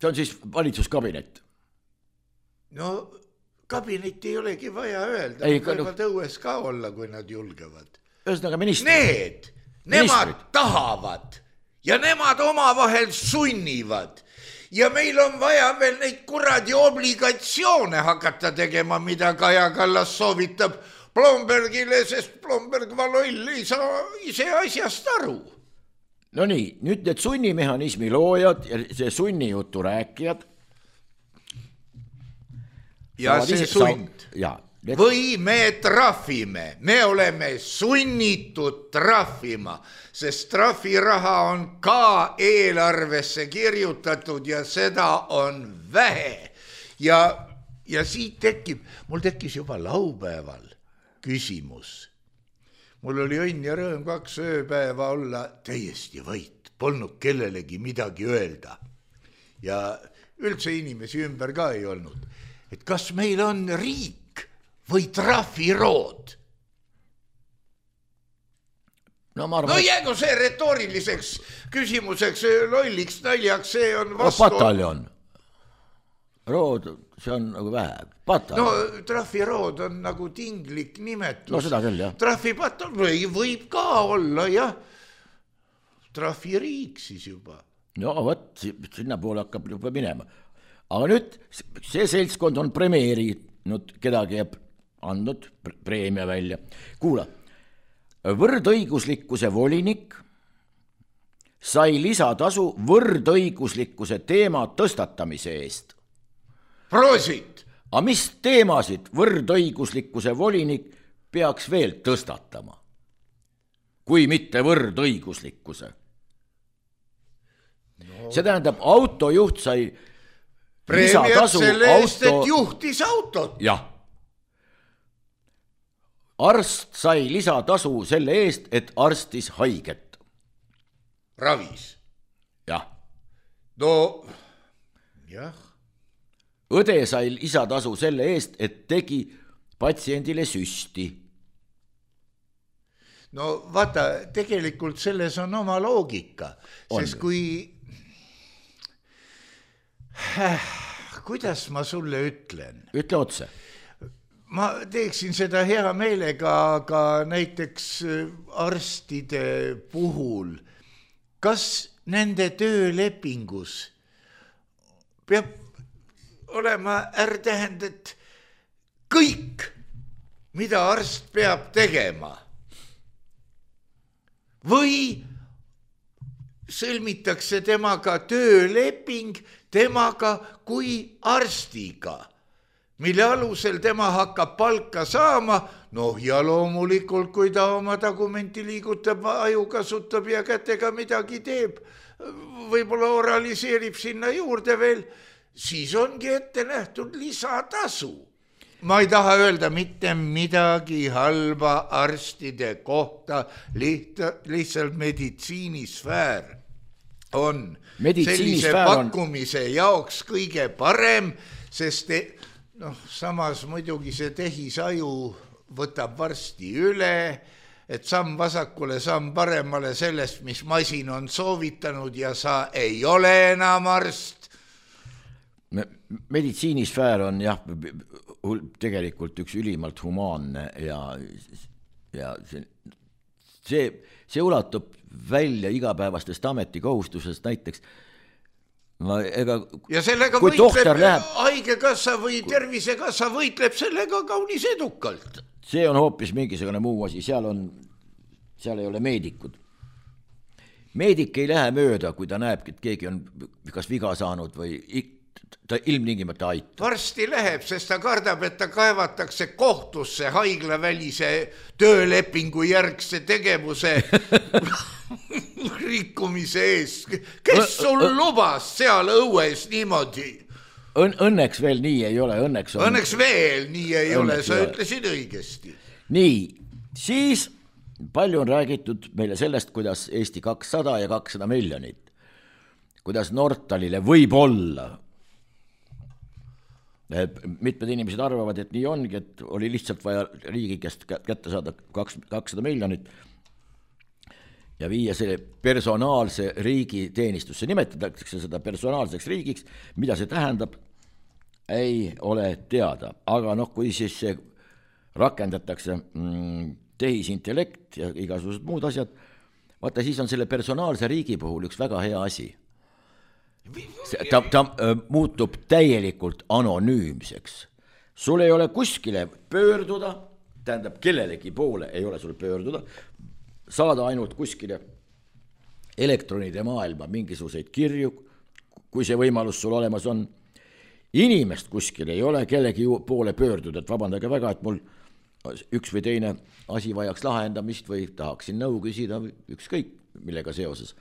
See on siis valitsuskabinet? No kabinetti ei olegi vaja öelda, võivad õues ka olla, kui nad julgevad. Ühesõnaga ministrid. Nemad tahavad ja nemad omavahel sunnivad. Ja meil on vaja veel neid kuradi obligatsioone hakata tegema, mida Kaja Kallas soovitab Blombergile, sest Blomberg Valoll ei saa ise asjast aru. No nii, nüüd need sunnimehhanismi loojad ja see sunnijutu rääkijad. Ja see sund. Või me trahvime, me oleme sunnitud trahvima, sest trahviraha on ka eelarvesse kirjutatud ja seda on vähe. Ja siit mul tekkis juba laupäeval küsimus. Mul oli õnn ja rõõm 2 ööpäeva olla täiesti vait, polnud kellelegi midagi öelda. Ja üldse inimesi ümber ka ei olnud. Et kas meil on riik või trahvirood? No jäägu see retooriliseks küsimuseks, lolliks, naljaks, see on vastu. Pataljon. Rood, see on nagu vähe. Pataljon. No trahvirood on nagu tinglik nimetus. No seda küll, jah. Trahvipataljon võib ka olla, jah. Trahviriik siis juba. No võt, sinna poole hakkab juba minema. Aga nüüd see seltskond on premeerinud, kedagi jääb andnud preemia välja. Kuula, võrdõiguslikkuse volinik sai lisatasu võrdõiguslikkuse teema tõstatamise eest. Proosit! Aga mis teemasid võrdõiguslikkuse volinik peaks veel tõstatama? Kui mitte võrdõiguslikkuse? See tähendab, autojuht sai preemiat selle eest, et juhtis autot. Jah. Arst sai lisatasu selle eest, et arstis haiget. Ravis. Jah. No, jah. Õde sai lisatasu selle eest, et tegi patsiendile süsti. No vaata, tegelikult selles on oma loogika, sest kui... Kuidas ma sulle ütlen? Ütle otse. Ma teeksin seda hea meelega, aga näiteks arstide puhul, kas nende töölepingus peab olema tähend, et kõik, mida arst peab tegema, või sõlmitakse temaga tööleping temaga kui arstiga, mille alusel tema hakkab palka saama, ja loomulikult, kui ta oma dokumenti liigutab, aju kasutab ja kätega midagi teeb, võib-olla oraliseerib sinna juurde veel, siis ongi ette nähtud lisatasu. Ma ei taha öelda mitte midagi halba arstide kohta, lihtsalt meditsiinisfäär on sellise pakkumise jaoks kõige parem, sest samas muidugi see tehisaju võtab varsti üle, et samm vasakule, samm paremale sellest, mis masin on soovitanud ja sa ei ole enam arst. Meditsiinisfäär on jah, tegelikult üks ülimalt humaanne ja see ulatub välja igapäevastest ametikohustusest näiteks. Ja sellega võitleb haigekassa või tervisekassa võitleb sellega kaunis edukalt. See on hoopis mingisugune muu asi, seal ei ole meedikud. Meedik ei lähe mööda, kui ta näeb, et keegi on kas viga saanud või ta ilmtingimata aitab. Varsti läheb, sest ta kardab, et ta kaevatakse kohtusse haiglavälise töölepingu järgse tegevuse rikkumise ees. Kes sul lubas seal õues niimoodi? Õnneks veel nii ei ole. Õnneks veel nii ei ole, sa ütlesid õigesti. Nii, siis palju on räägitud meile sellest, kuidas Eesti 200 ja 200 miljonit, kuidas Nortalile võib olla. Mitmed inimesed arvavad, et nii ongi, et oli lihtsalt vaja riigi käest kätte saada 200 miljonit ja viia selle personaalse riigi teenistusse. Nimetatakse seda personaalseks riigiks, mida see tähendab, ei ole teada. Aga kui siis see rakendatakse tehisintellekt ja igasugused muud asjad, vaata siis on selle personaalse riigi puhul üks väga hea asi. Ta muutub täielikult anonüümseks. Sul ei ole kuskile pöörduda, tähendab kellelegi poole ei ole sul pöörduda, saada ainult kuskile elektronide maailma mingisuguseid kirju, kui see võimalus sul olemas on. Inimest kuskil ei ole kellegi poole pöörduda, et vabandage väga, et mul üks või teine asi vajaks lahendamist või tahaksin nõu küsida ükskõik millega seoses.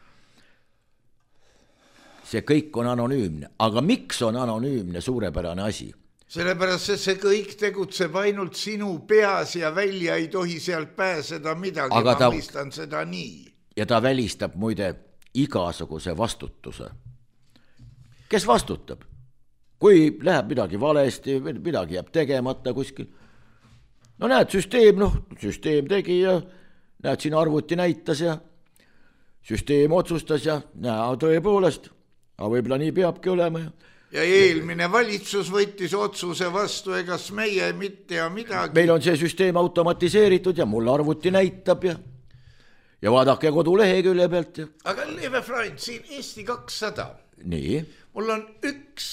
See kõik on anonüümne, aga miks on anonüümne suurepärane asi? Sellepärast, et see kõik tegutseb ainult sinu peas ja välja ei tohi sealt pääseda midagi, ma mõistan seda nii. Ja ta välistab muide igasuguse vastutuse. Kes vastutab? Kui läheb midagi valesti, midagi jääb tegemata kuskil. No näed, süsteem tegi ja näed, siin arvuti näitas ja süsteem otsustas ja näe, tõepoolest, aga võib-olla nii peabki olema. Ja eelmine valitsus võttis otsuse vastu, egas meie mitte ja midagi. Meil on see süsteem automatiseeritud ja mul arvuti näitab ja vaadake kodulehe külje pealt. Aga Leve Freund, siin Eesti 200. Nii. Mul on üks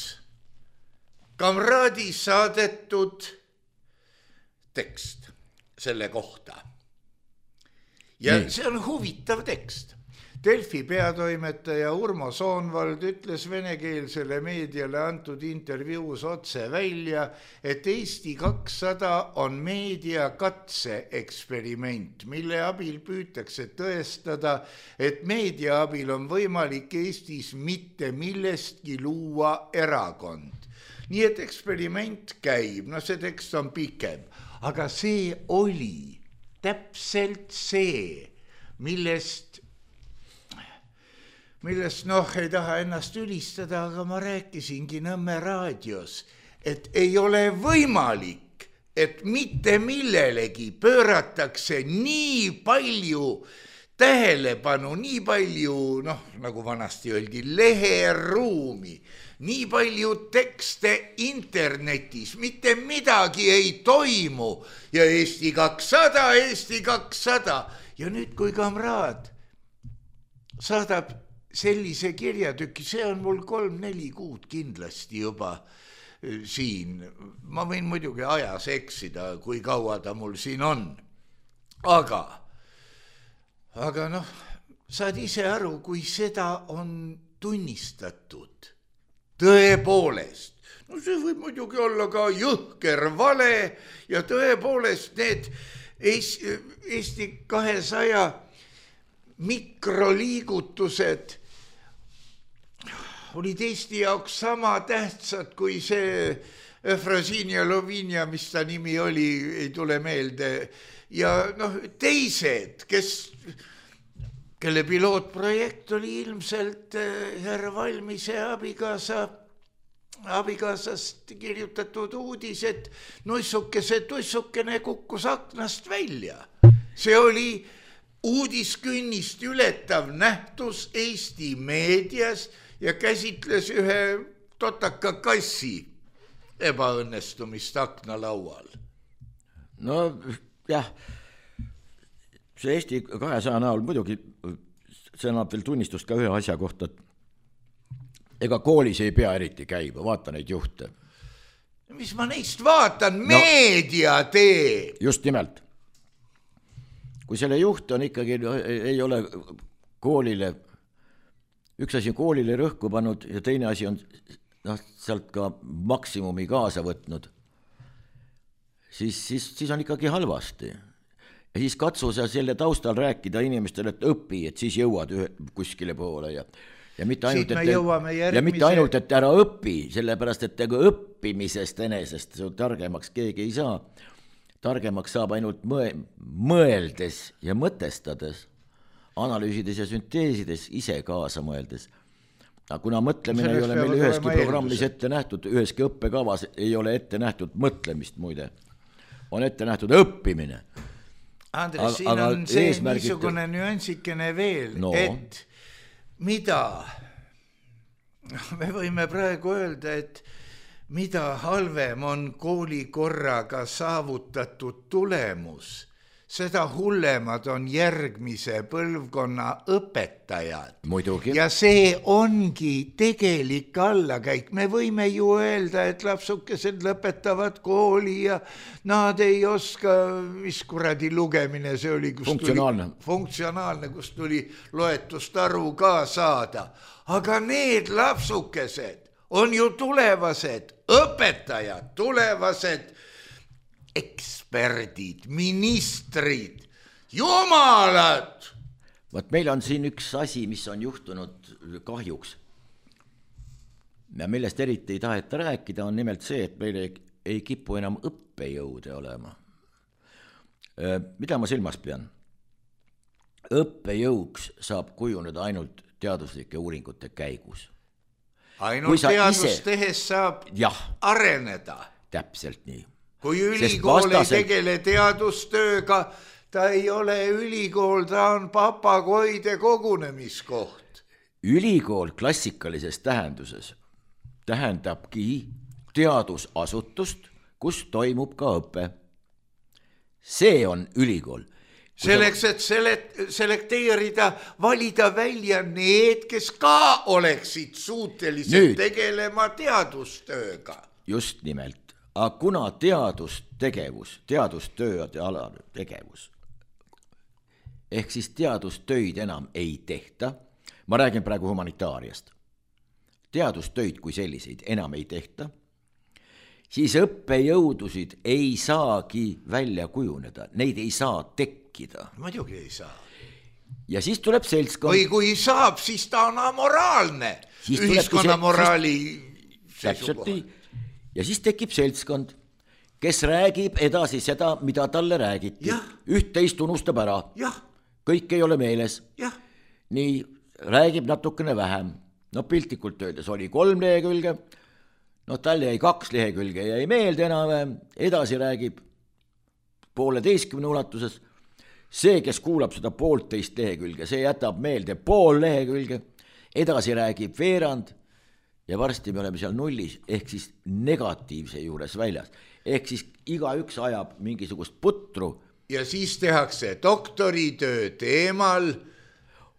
kamraadi saadetud tekst selle kohta. Ja nii. See on huvitav tekst. Delfi peatoimetaja Urmo Soonvald ütles venekeelsele meediale antud intervjuus otse välja, et Eesti 200 on meedia katseeksperiment, mille abil püütakse tõestada, et meedia abil on võimalik Eestis mitte millestki luua erakond. Nii et eksperiment käib, see tekst on pikem, aga see oli täpselt see, millest ei taha ennast ülistada, aga ma rääkisingi Nõmme raadios, et ei ole võimalik, et mitte millelegi pööratakse nii palju tähelepanu, nii palju, nagu vanasti öeldi, leheruumi, nii palju tekste internetis, mitte midagi ei toimu ja Eesti 200. Ja nüüd, kui kamraad saadab sellise kirjatüki, see on mul 3-4 kuud kindlasti juba siin. Ma võin muidugi ajas eksida, kui kaua ta mul siin on. Aga saad ise aru, kui seda on tunnistatud. Tõepoolest. See võib muidugi olla ka jõhker vale ja tõepoolest need Eesti 200 mikroliigutused olid Eesti jaoks sama tähtsad kui see Efrosinia Lovinia, mis ta nimi oli, ei tule meelde. Ja teised, kelle pilootprojekt oli ilmselt härra Valmise abikaasast kirjutatud uudis, et tussukene kukkus aknast välja. See oli uudiskünnist ületav nähtus Eesti meedias ja käsitles ühe totaka kassi ebaõnnestumist aknalaual. Jah, see Eesti 200 näol muidugi, see annab veel tunnistust ka ühe asja kohta, et ega koolis ei pea eriti käima, vaata neid juhte. Mis ma neist vaatan? Meedia teeb! Just nimelt. Kui selle juht on ikkagi, ei ole koolile, üks asi on koolile rõhku pannud ja teine asi on sealt ka maksimumi kaasa võtnud, siis on ikkagi halvasti. Ja siis katsu sa selle taustal rääkida inimestele, et õpi, et siis jõuad kuskile poole ja mitte ainult, et ära õpi, sellepärast, et õppimisest enesest targemaks keegi ei saa. Targemaks saab ainult mõeldes ja mõtestades, analüüsides ja sünteesides, ise kaasa mõeldes. Aga kuna mõtlemine ei ole meil üheski programmis ette nähtud, üheski õppekavas ei ole ette nähtud mõtlemist muide, on ette nähtud õppimine. Andres, siin on see niisugune nüansikene veel, et mida, me võime praegu öelda, et mida halvem on koolikorraga saavutatud tulemus, seda hullemad on järgmise põlvkonna õpetajad. Muidugi. Ja see ongi tegelik allakäik. Me võime ju öelda, et lapsukesed lõpetavad kooli ja nad ei oska, mis kuradi lugemine see oli, funktsionaalne, kus tuli loetust aru ka saada. Aga need lapsukesed on ju tulevased õpetajad, tulevased eksperdid, ministrid, jumalad. Vaat meil on siin üks asi, mis on juhtunud kahjuks. Ja millest eriti ei taheta rääkida, on nimelt see, et meil ei kipu enam õppejõude olema. Mida ma silmas pean? Õppejõuks saab kujuneda ainult teaduslike uuringute käigus. Ainult teadust tehes saab areneda. Täpselt nii. Kui ülikool ei tegele teadustööga, ta ei ole ülikool, ta on papagoide kogunemiskoht. Ülikool klassikalises tähenduses tähendabki teadusasutust, kus toimub ka õpe. See on ülikool. Selleks, et selekteerida, valida välja need, kes ka oleksid suutelised tegelema teadustööga. Just nimelt. Aga kuna teadustegevus, teadustöö ja alategevus ehk siis teadustöid enam ei tehta, ma räägin praegu humanitaariast, teadustöid kui selliseid enam ei tehta, siis õppejõudusid ei saagi välja kujuneda, neid ei saa tekkida. Muidugi ei saa. Ja siis tuleb seltskond. Või kui saab, siis ta on amoraalne. Ühiskonna moraali seisukohalt. Ja siis tekib seltskond, kes räägib edasi seda, mida talle räägiti. Üht-teist unustab ära. Kõik ei ole meeles. Nii räägib natukene vähem. No piltlikult öeldes oli 3 lehekülge, no tal jäi 2 lehekülge, jäi meelde enam, edasi räägib 1,5 ulatuses. See, kes kuulab seda 1,5 lehekülge, see jätab meelde 0,5 lehekülge, edasi räägib veerand ja varsti me oleme seal nullis, ehk siis negatiivse juures väljas. Ehk siis igaüks ajab mingisugust putru. Ja siis tehakse doktoritöö teemal.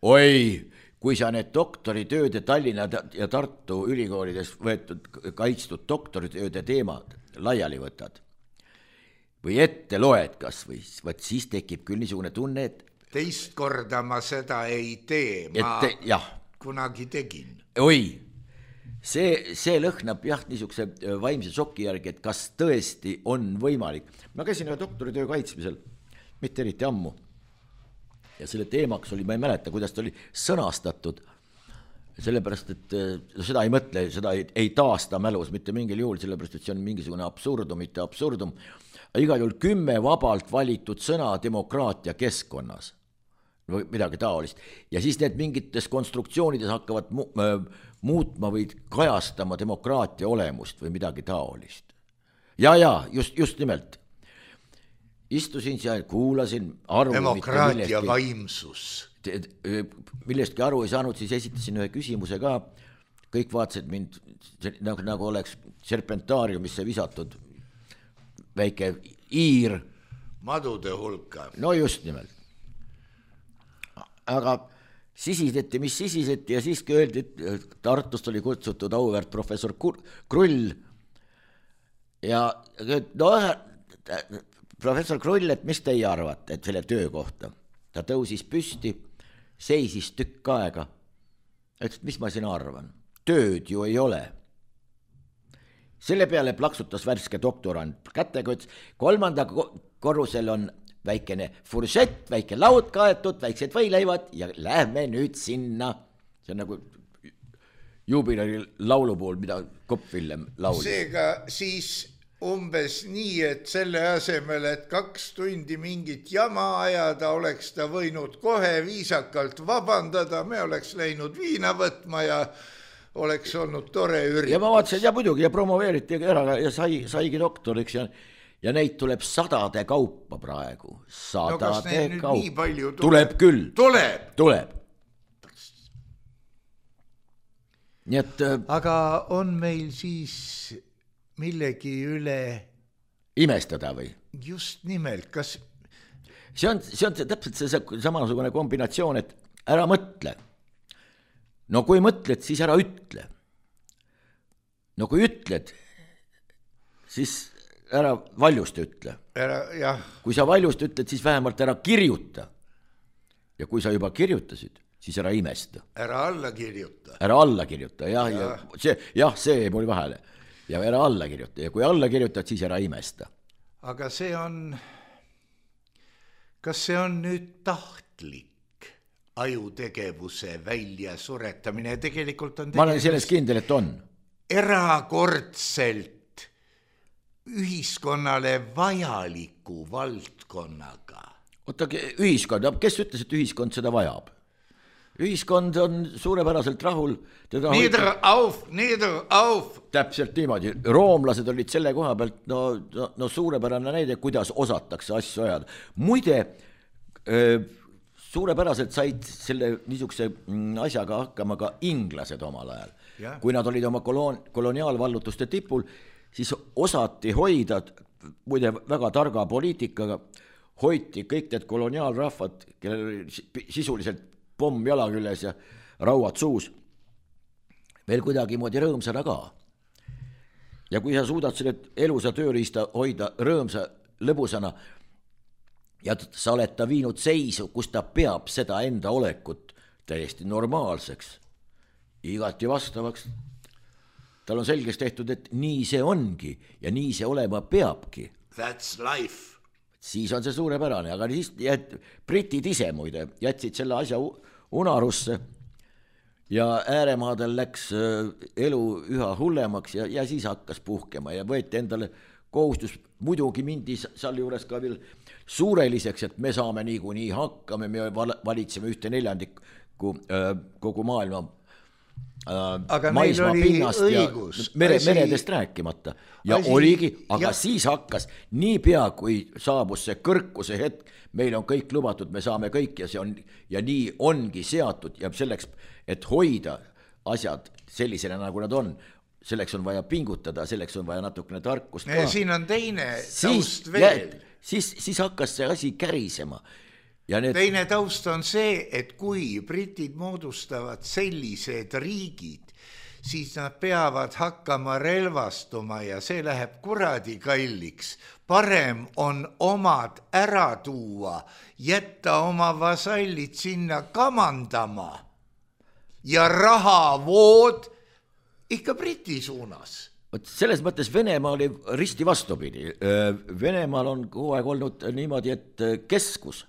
Oi, kui sa need doktoritööde Tallinna ja Tartu ülikoolides võetud kaitstud doktoritööde teemad laiali võtad või ette loed kas või, võt siis tekib küll niisugune tunne, et teist korda ma seda ei tee, ma kunagi tegin. Oi, see lõhnab niisuguse vaimse šoki järgi, et kas tõesti on võimalik. Ma käisin ühe doktoritöö kaitsmisel, mitte eriti ammu. Ja selle teemaks oli, ma ei mäleta, kuidas ta oli sõnastatud, sellepärast, et seda ei mõtle, seda ei taasta mälus mitte mingil juhul, sellepärast, et see on mingisugune absurdum, mitte absurdum. Igal juhul 10 vabalt valitud sõna demokraatia keskkonnas või midagi taolist. Ja siis need mingites konstruktsioonides hakkavad muutma või kajastama demokraatia olemust või midagi taolist. Ja, just nimelt. Istusin seal, kuulasin aru. Demokraatia vaimsus. Millestki aru ei saanud, siis esitasin ühe küsimuse ka. Kõik vaatasid mind nagu oleks serpentaariumisse visatud väike iir. Madude hulka. No just nimelt. Aga sisiseti, mis sisiseti ja siiski öeldi, et Tartust oli kutsutud auväärt professor Krull. Ja professor Krull, et mis teie arvate, et selle töö kohta? Ta tõusis püsti, seisis tükk aega. Ütles, mis ma siin arvan? Tööd ju ei ole. Selle peale plaksutas värske doktorant kätega, ütles, 3. korrusel on väikene furšett, väike laud kaetud, väiksed võileivad ja lähme nüüd sinna. See on nagu juubilari laulu pool, mida Kopp-Villem laulis. Seega siis umbes nii, et selle asemel, et 2 tundi mingit jama ajada, oleks ta võinud kohe viisakalt vabandada, me oleks läinud viina võtma ja oleks olnud tore üritus. Ja ma vaatasin, ja muidugi, ja promoveeriti ära ja saigi doktoriks ja neid tuleb 100 kaupa praegu. 100 kaupa. Tuleb küll. Tuleb. Nii et... Aga on meil siis millegi üle imestada või? Just nimelt, kas... See on täpselt see samasugune kombinatsioon, et ära mõtle. No kui mõtled, siis ära ütle. No kui ütled, siis ära valjust ütle. Kui sa valjust ütled, siis vähemalt ära kirjuta. Ja kui sa juba kirjutasid, siis ära imesta. Ära alla kirjuta. Ära alla kirjuta, see ei mul vahele. Ja ära alla kirjuta. Ja kui alla kirjutad, siis ära imesta. Aga kas see on nüüd tahtlik ajutegevuse välja suretamine? Tegelikult on ma olen selles kindel, et on. Erakordselt ühiskonnale vajaliku valdkonnaga. Oota, ühiskond, kes ütles, et ühiskond seda vajab? Ühiskond on suurepäraselt rahul. Nieder auf. Täpselt niimoodi. Roomlased olid selle koha pealt, no suurepärane näide, kuidas osatakse asju ajada. Muide, suurepäraselt said selle niisuguse asjaga hakkama ka inglased omal ajal. Kui nad olid oma koloniaalvallutuste tipul, siis osati hoida, muide väga targa poliitikaga, hoiti kõik need koloniaalrahvad, kellel sisuliselt pomm jala küljes ja rauad suus, veel kuidagi moodi rõõmsana ka. Ja kui sa suudad selle elusa tööriista hoida rõõmsa lõbusana, ja sa oled ta viinud seisu, kus ta peab seda enda olekut täiesti normaalseks, igati vastavaks. Tal on selgeks tehtud, et nii see ongi ja nii see olema peabki. That's life. Siis on see suurepärane, aga siis britid ise muide jätsid selle asja unarusse ja ääremaadel läks elu üha hullemaks ja siis hakkas puhkema ja võeti endale kohustus, muidugi mindi seal juures ka veel suureliseks, et me saame niikuinii hakkame, me valitseme 1/4 kogu maailma aga maismaa pinnast õigus, ja meredest rääkimata ja oligi, aga siis hakkas niipea, kui saabus see kõrkuse hetk, meil on kõik lubatud, me saame kõik ja see on ja nii ongi seatud ja selleks, et hoida asjad sellisena, nagu nad on, selleks on vaja pingutada, selleks on vaja natukene tarkust ka. Siin on teine taust veel. Siis hakkas see asi kärisema. Teine taust on see, et kui britid moodustavad sellised riigid, siis nad peavad hakkama relvastuma ja see läheb kuradi kalliks. Parem on omad ära tuua, jätta oma vasallid sinna kamandama ja rahavood ikka Briti suunas. Selles mõttes Venemaa oli risti vastupidi. Venemaal on kogu aeg olnud niimoodi, et keskus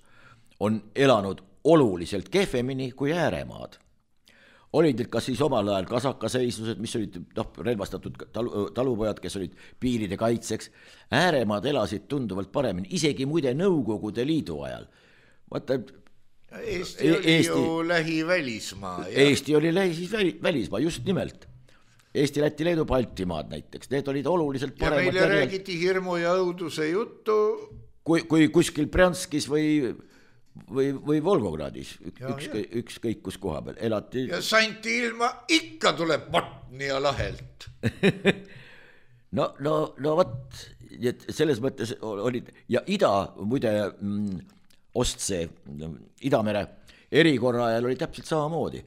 on elanud oluliselt kehvemini kui ääremaad. Olid kas siis omal ajal kasakaseislused, mis olid relvastatud talupojad, kes olid piiride kaitseks. Ääremaad elasid tunduvalt paremini, isegi muide Nõukogude Liidu ajal. Eesti oli ju lähivälismaa. Eesti oli lähivälismaa, just nimelt. Eesti, Läti, Leedu, Baltimaad näiteks, need olid oluliselt paremad. Ja meile räägiti hirmu ja õuduse juttu. Kui kuskil Brjanskis või Volgogradis, ükskõik kus koha peal elati. Ja Santi ilma ikka tuleb Botnia lahelt. No võt, selles mõttes olid, ja muide Ostsee, Idamere erikorra ajal oli täpselt samamoodi.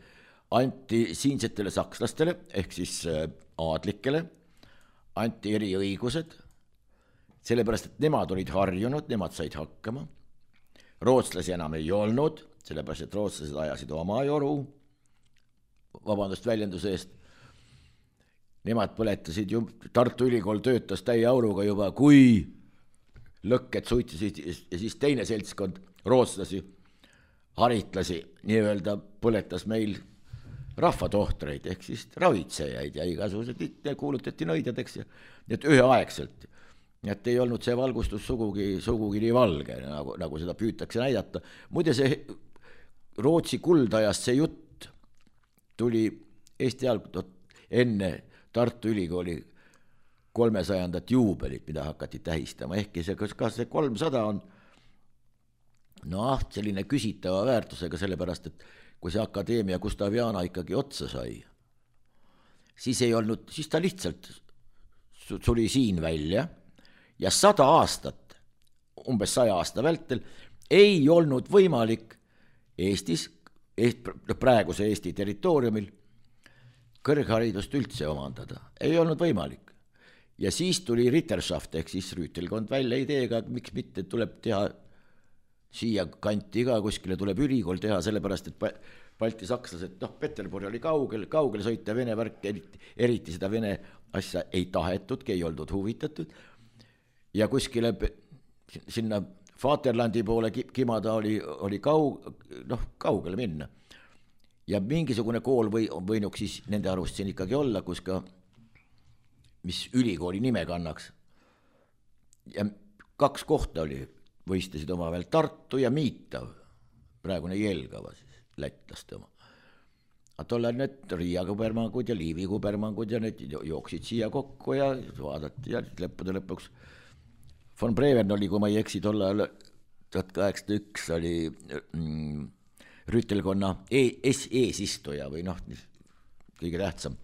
Anti siinsetele sakslastele, ehk siis aadlikele, anti eriõigused, sellepärast, et nemad olid harjunud, nemad said hakkama. Rootslasi enam ei olnud, sellepärast, et rootslased ajasid oma joru, vabandust väljenduse eest. Nemad põletasid ju, Tartu Ülikool töötas täie auruga juba, kui lõkked suitisid ja siis teine seltskond rootslasi, haritlasi, nii-öelda põletas meil rahvatohtreid, ehk siis ravitsejaid ja igasugused kuulutati nõidjadeks ja need üheaegselt. Et ei olnud see valgustus sugugi nii valge, nagu seda püütakse näidata. Muide see Rootsi kuldajast see jutt tuli Eesti enne Tartu Ülikooli 300. juubelit, mida hakati tähistama, ehkki kas see 300 on selline küsitava väärtusega, sellepärast, et kui see akadeemia Gustaviana ikkagi otsa sai, siis ta lihtsalt suli siin välja ja 100 aastat, umbes 100 aasta vältel, ei olnud võimalik Eestis, praeguse Eesti territooriumil, kõrgharidust üldse omandada. Ei olnud võimalik. Ja siis tuli Ritterschaft, ehk siis rüütelkond välja ideega, et miks mitte tuleb teha siia kanti ka, kuskile tuleb ülikool teha, sellepärast, et Balti sakslased, Peterburi oli kaugel sõita, Vene värk, eriti seda Vene asja ei tahetudki, ei oldud huvitatud. Ja kuskile sinna Vaterlandi poole kimada oli kaugele minna. Ja mingisugune kool võinuks siis nende arust siin ikkagi olla, kus ka, mis ülikooli nime kannaks. Ja 2 kohta oli, võistlesid oma veel Tartu ja Miitav, praegune Jelgava siis, lätlaste oma. Aga tollal need Riia kubermangud ja Liivi kubermangud ja need jooksid siia kokku ja vaadati ja lõppude lõpuks von Brevern oli, kui ma ei eksi, tollal 1801 oli rüütelkonna eesistuja või kõige tähtsam.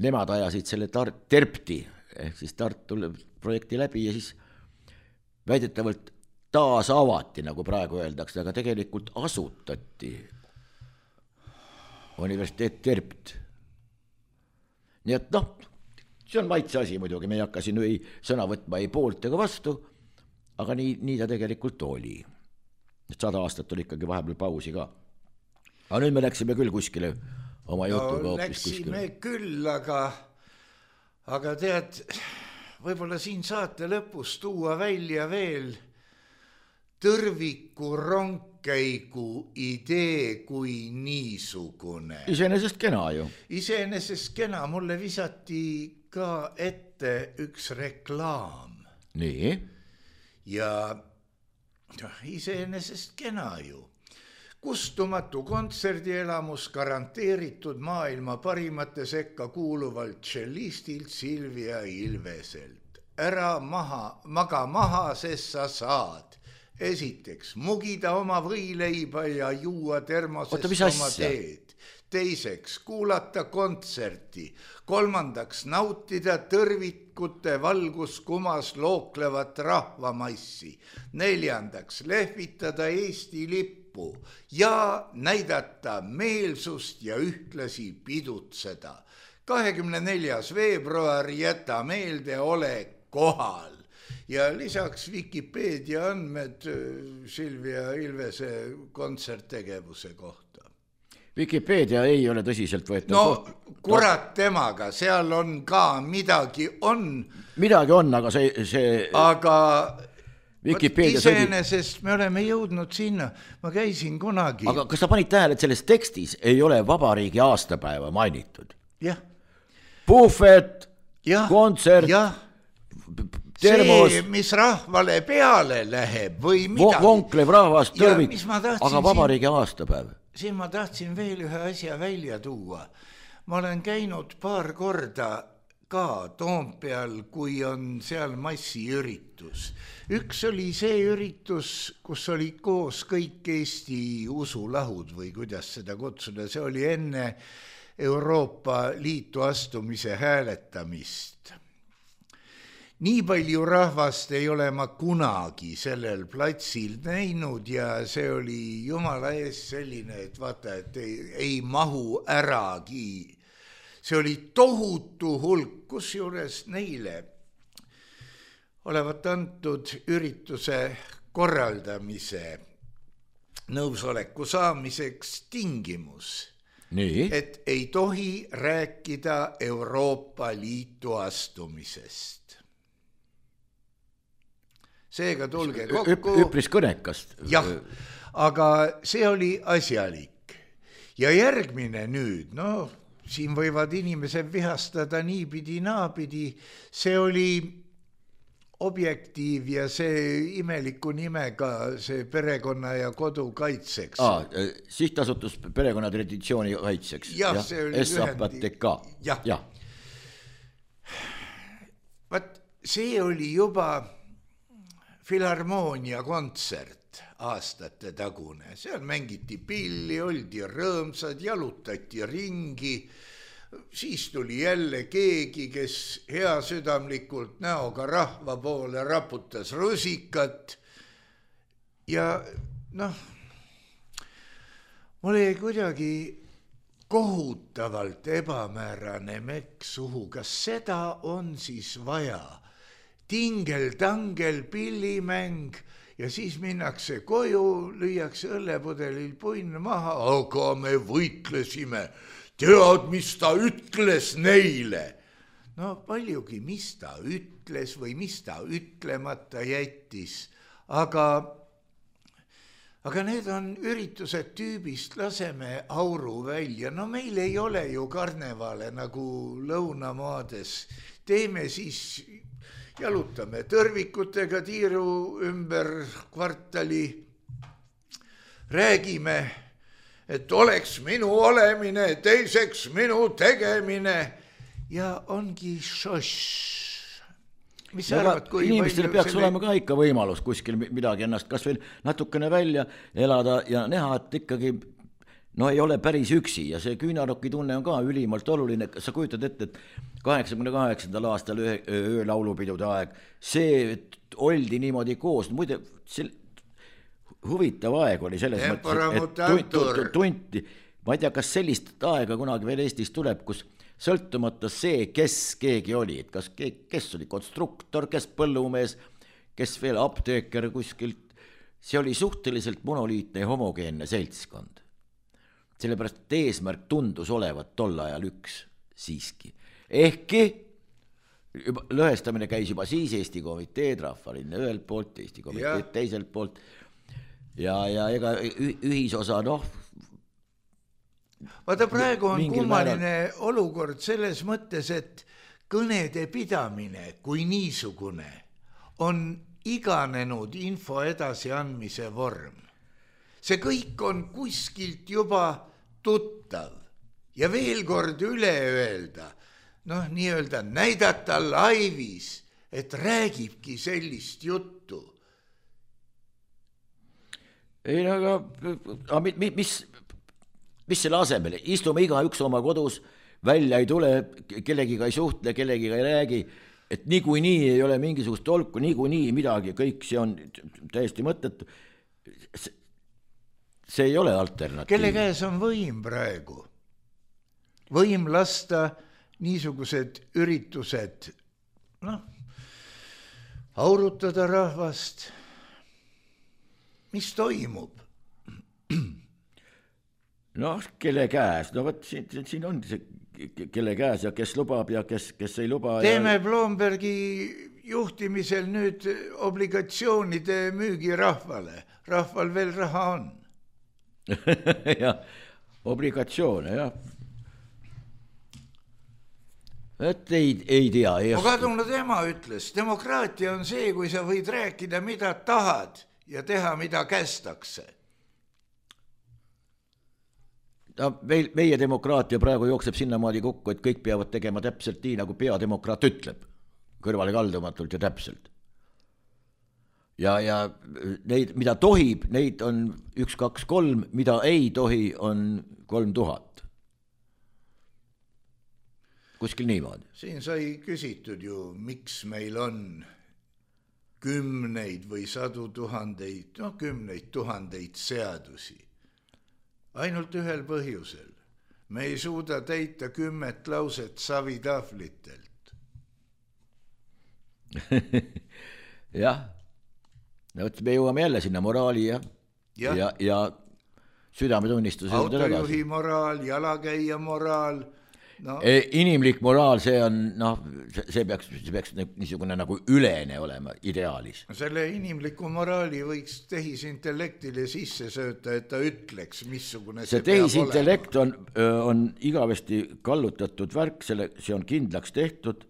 Nemad ajasid selle Terpti, ehk siis Tartu projekti läbi ja siis väidetavalt taas avati, nagu praegu öeldakse, aga tegelikult asutati universiteet Terpt. Nii et see on maitse asi muidugi, me ei hakka siin sõna võtma ei poolt ega vastu, aga nii ta tegelikult oli. 100 aastat oli ikkagi vahepeal pausi ka. Aga nüüd me läksime küll kuskile oma jutuga hoopis kuskile. Läksime küll, aga tead, võib-olla siin saate lõpus tuua välja veel tõrviku rongkäigu idee kui niisugune. Iseenesest kena ju. Iseenesest kena, mulle visati ka ette üks reklaam. Nii. Ja iseenesest kena ju. Kustumatu kontserdielamus garanteeritud maailma parimate sekka kuuluvalt tšellistilt Silvia Ilveselt. Ära maga maha, sest sa saad. Esiteks, mugida oma võileiba ja juua termosest oma teed. Teiseks, kuulata kontserti. Kolmandaks, nautida tõrvikute valguskumas looklevat rahvamassi. Neljandaks, lehvitada Eesti lippu ja näidata meelsust ja ühtlasi pidutseda. 24. veebruar jäta meelde, ole kohal. Ja lisaks Wikipedia andmed Silvia Ilvese kontserttegevuse kohta. Wikipedia ei ole tõsiselt võetud. No kurat temaga, seal on ka midagi on. Midagi on, aga see aga Wikipedia iseenesest me oleme jõudnud sinna. Ma käisin kunagi. Aga kas sa panid tähele, et selles tekstis ei ole vabariigi aastapäeva mainitud? Jah. Puhvet, kontsert, termos. See, mis rahvale peale läheb või midagi. Vonklev rahvas, tõrvik, aga vabariigi aastapäev. Siin ma tahtsin veel ühe asja välja tuua. Ma olen käinud paar korda ka Toompeal, kui on seal massiüritus. Üks oli see üritus, kus oli koos kõik Eesti usulahud või kuidas seda kutsuda. See oli enne Euroopa Liitu astumise hääletamist. Nii palju rahvast ei ole ma kunagi sellel platsil näinud ja see oli jumala ees selline, et vaata, et ei mahu äragi. See oli tohutu hulk, kusjuures neile olevat antud ürituse korraldamise nõusoleku saamiseks tingimus, et ei tohi rääkida Euroopa Liitu astumisest. Seega tulge kokku. Üpris kõnekast. Jah, aga see oli asjalik. Ja järgmine nüüd, siin võivad inimesed vihastada niipidi, naapidi, see oli Objektiiv ja see imeliku nimega see perekonna ja kodu kaitseks. Sihtasutus perekonna traditsiooni kaitseks. Jah, see oli SAPTK. Jah. Vaat see oli juba filharmoonia kontsert aastate tagune. Seal mängiti pilli, oldi rõõmsad, jalutati ringi. Siis tuli jälle keegi, kes heasüdamlikult näoga rahva poole raputas rusikat. Ja mul jäi kuidagi kohutavalt ebamäärane mekk suhu. Kas seda on siis vaja? Tingel-tangel pillimäng ja siis minnakse koju, lüüakse õllepudelil punn maha, aga me võitlesime. Tead, mis ta ütles neile? Paljugi, mis ta ütles või mis ta ütlemata jättis, aga need on üritused tüübist, laseme auru välja. Meil ei ole ju karnevale nagu lõunamaades. Teeme siis... Jalutame tõrvikutega tiiru ümber kvartali. Räägime, et oleks minu olemine, teiseks minu tegemine ja ongi šoš. Mis sa arvad, kui inimestele peaks olema ka ikka võimalus kuskil midagi ennast kas veel natukene välja elada ja näha, et ikkagi ei ole päris üksi ja see küünarokki tunne on ka ülimalt oluline. Sa kujutad ette, et 88. aastal öölaulupidude aeg, see oldi niimoodi koos. Muide, huvitav aeg oli selles mõttes, et tunti. Ma ei tea, kas sellist aega kunagi veel Eestis tuleb, kus sõltumata see, kes keegi oli, et kes oli konstruktor, kes põllumees, kes veel apteeker kuskilt, see oli suhteliselt monoliitne ja homogeenne seltskond. Sellepärast, et eesmärk tundus olevat tol ajal üks siiski. Ehkki lõhestamine käis juba siis Eesti komiteed, Rahvalinna ühelt poolt, Eesti komiteed teiselt poolt ja ega ühisosa, Vaata, praegu on kummaline olukord selles mõttes, et kõnede pidamine kui niisugune on iganenud info edasiandmise vorm. See kõik on kuskilt juba tuttav ja veel kord üle öelda, nii-öelda näidata laivis, et räägibki sellist juttu. Ei, aga mis selle asemel? Istume igaüks oma kodus, välja ei tule, kellegiga ei suhtle, kellegiga ei räägi, et niikuinii ei ole mingisugust tolku, niikuinii midagi, kõik see on täiesti mõttetu. See ei ole alternatiiv. Kelle käes on võim praegu? Võim lasta niisugused üritused, aurutada rahvast. Mis toimub? Kelle käes? Võt, siin on see, kelle käes ja kes lubab ja kes ei luba. Teeme Blombergi juhtimisel nüüd obligatsioonide müügi rahvale. Rahval veel raha on. Ja, obligatsioone, jah. Et ei tea. Kadunud ema ütles, demokraatia on see, kui sa võid rääkida, mida tahad ja teha, mida kästakse. Meie demokraatia praegu jookseb sinnamaadi kokku, et kõik peavad tegema täpselt nii, nagu peademokraat ütleb. Kõrvale kaldumatult ja täpselt. Ja neid, mida tohib, neid on 1, 2, 3, mida ei tohi, on 3000. Kuskil niimoodi. Siin sai küsitud ju, miks meil on kümneid või 100,000, 10,000 seadusi. Ainult ühel põhjusel. Me ei suuda täita 10 lauset savitahvlitelt. Jah. Me jõuame jälle sinna moraali ja südametunnistuse. Autojuhi moraal, jalakäija moraal. Inimlik moraal, see on, see peaks niisugune nagu ülene olema ideaalis. Selle inimliku moraali võiks tehisintellektile sisse sööta, et ta ütleks, missugune see peab olema. See tehisintellekt on igavesti kallutatud värk, see on kindlaks tehtud,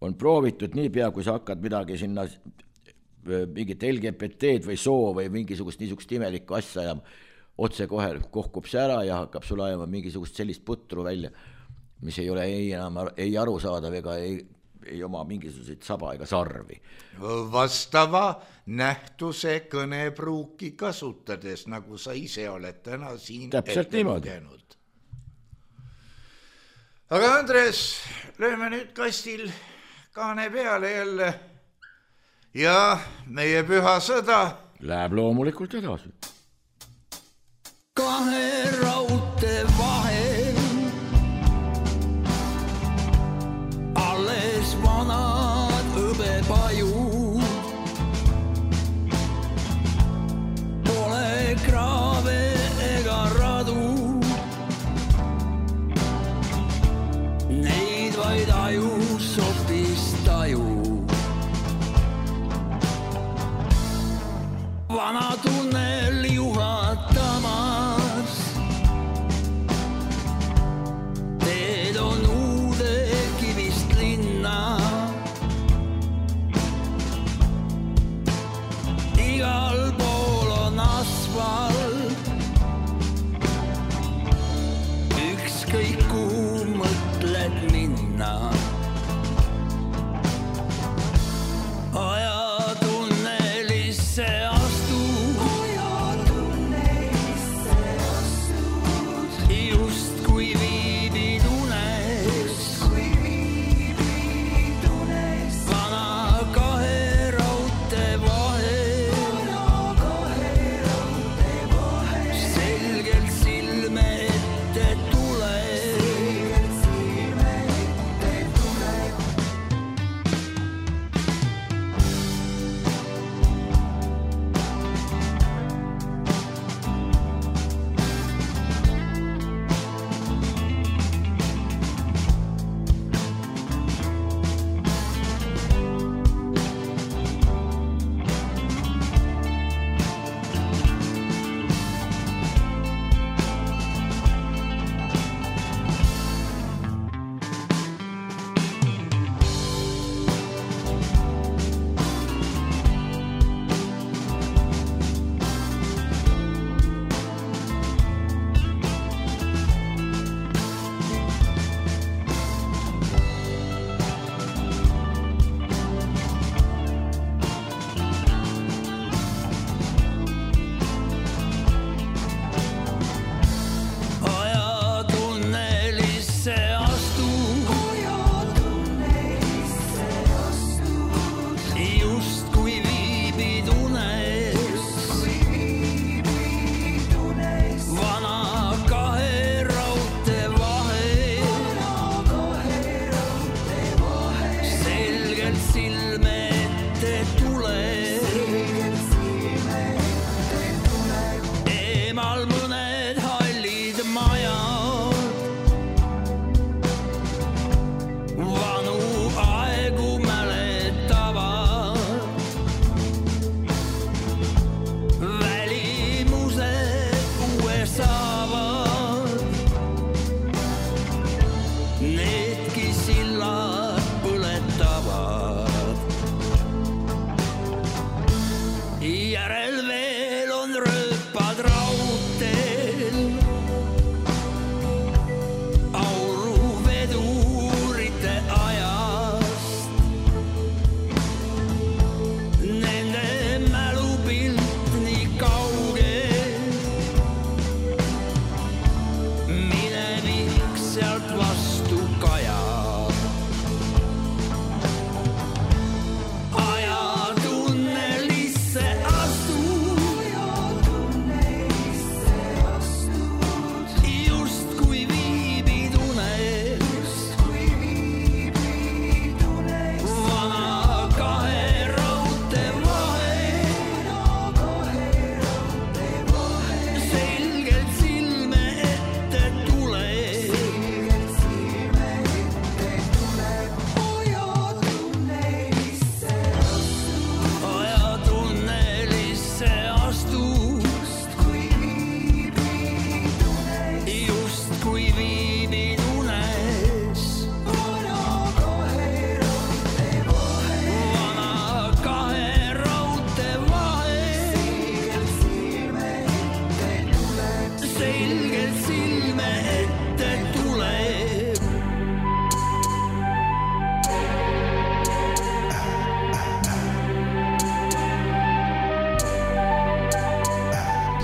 on proovitud niipea, kui sa hakkad midagi sinna mingit LGBT-d või soo või mingisugust niisugust imelikku asja ja otse kohe kohkub see ära ja hakkab sul ajama mingisugust sellist putru välja, mis ei ole ei arusaadav ega ei oma mingisuguseid saba ega sarvi. Vastava nähtuse kõnepruuki kasutades, nagu sa ise oled täna siin ette lugenud. Aga Andres, lööme nüüd kastil kaane peale jälle ja meie püha sõda läheb loomulikult edasi. Kahe raute vahel alles vanad hõbepajud. Pole kraave ega radu, neid vaid ajus sopis taju. Vana tunnel juhatamas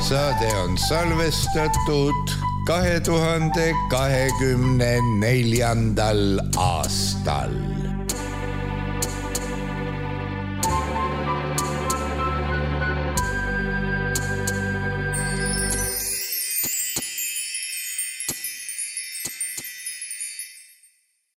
Saade on salvestatud 2024. aastal.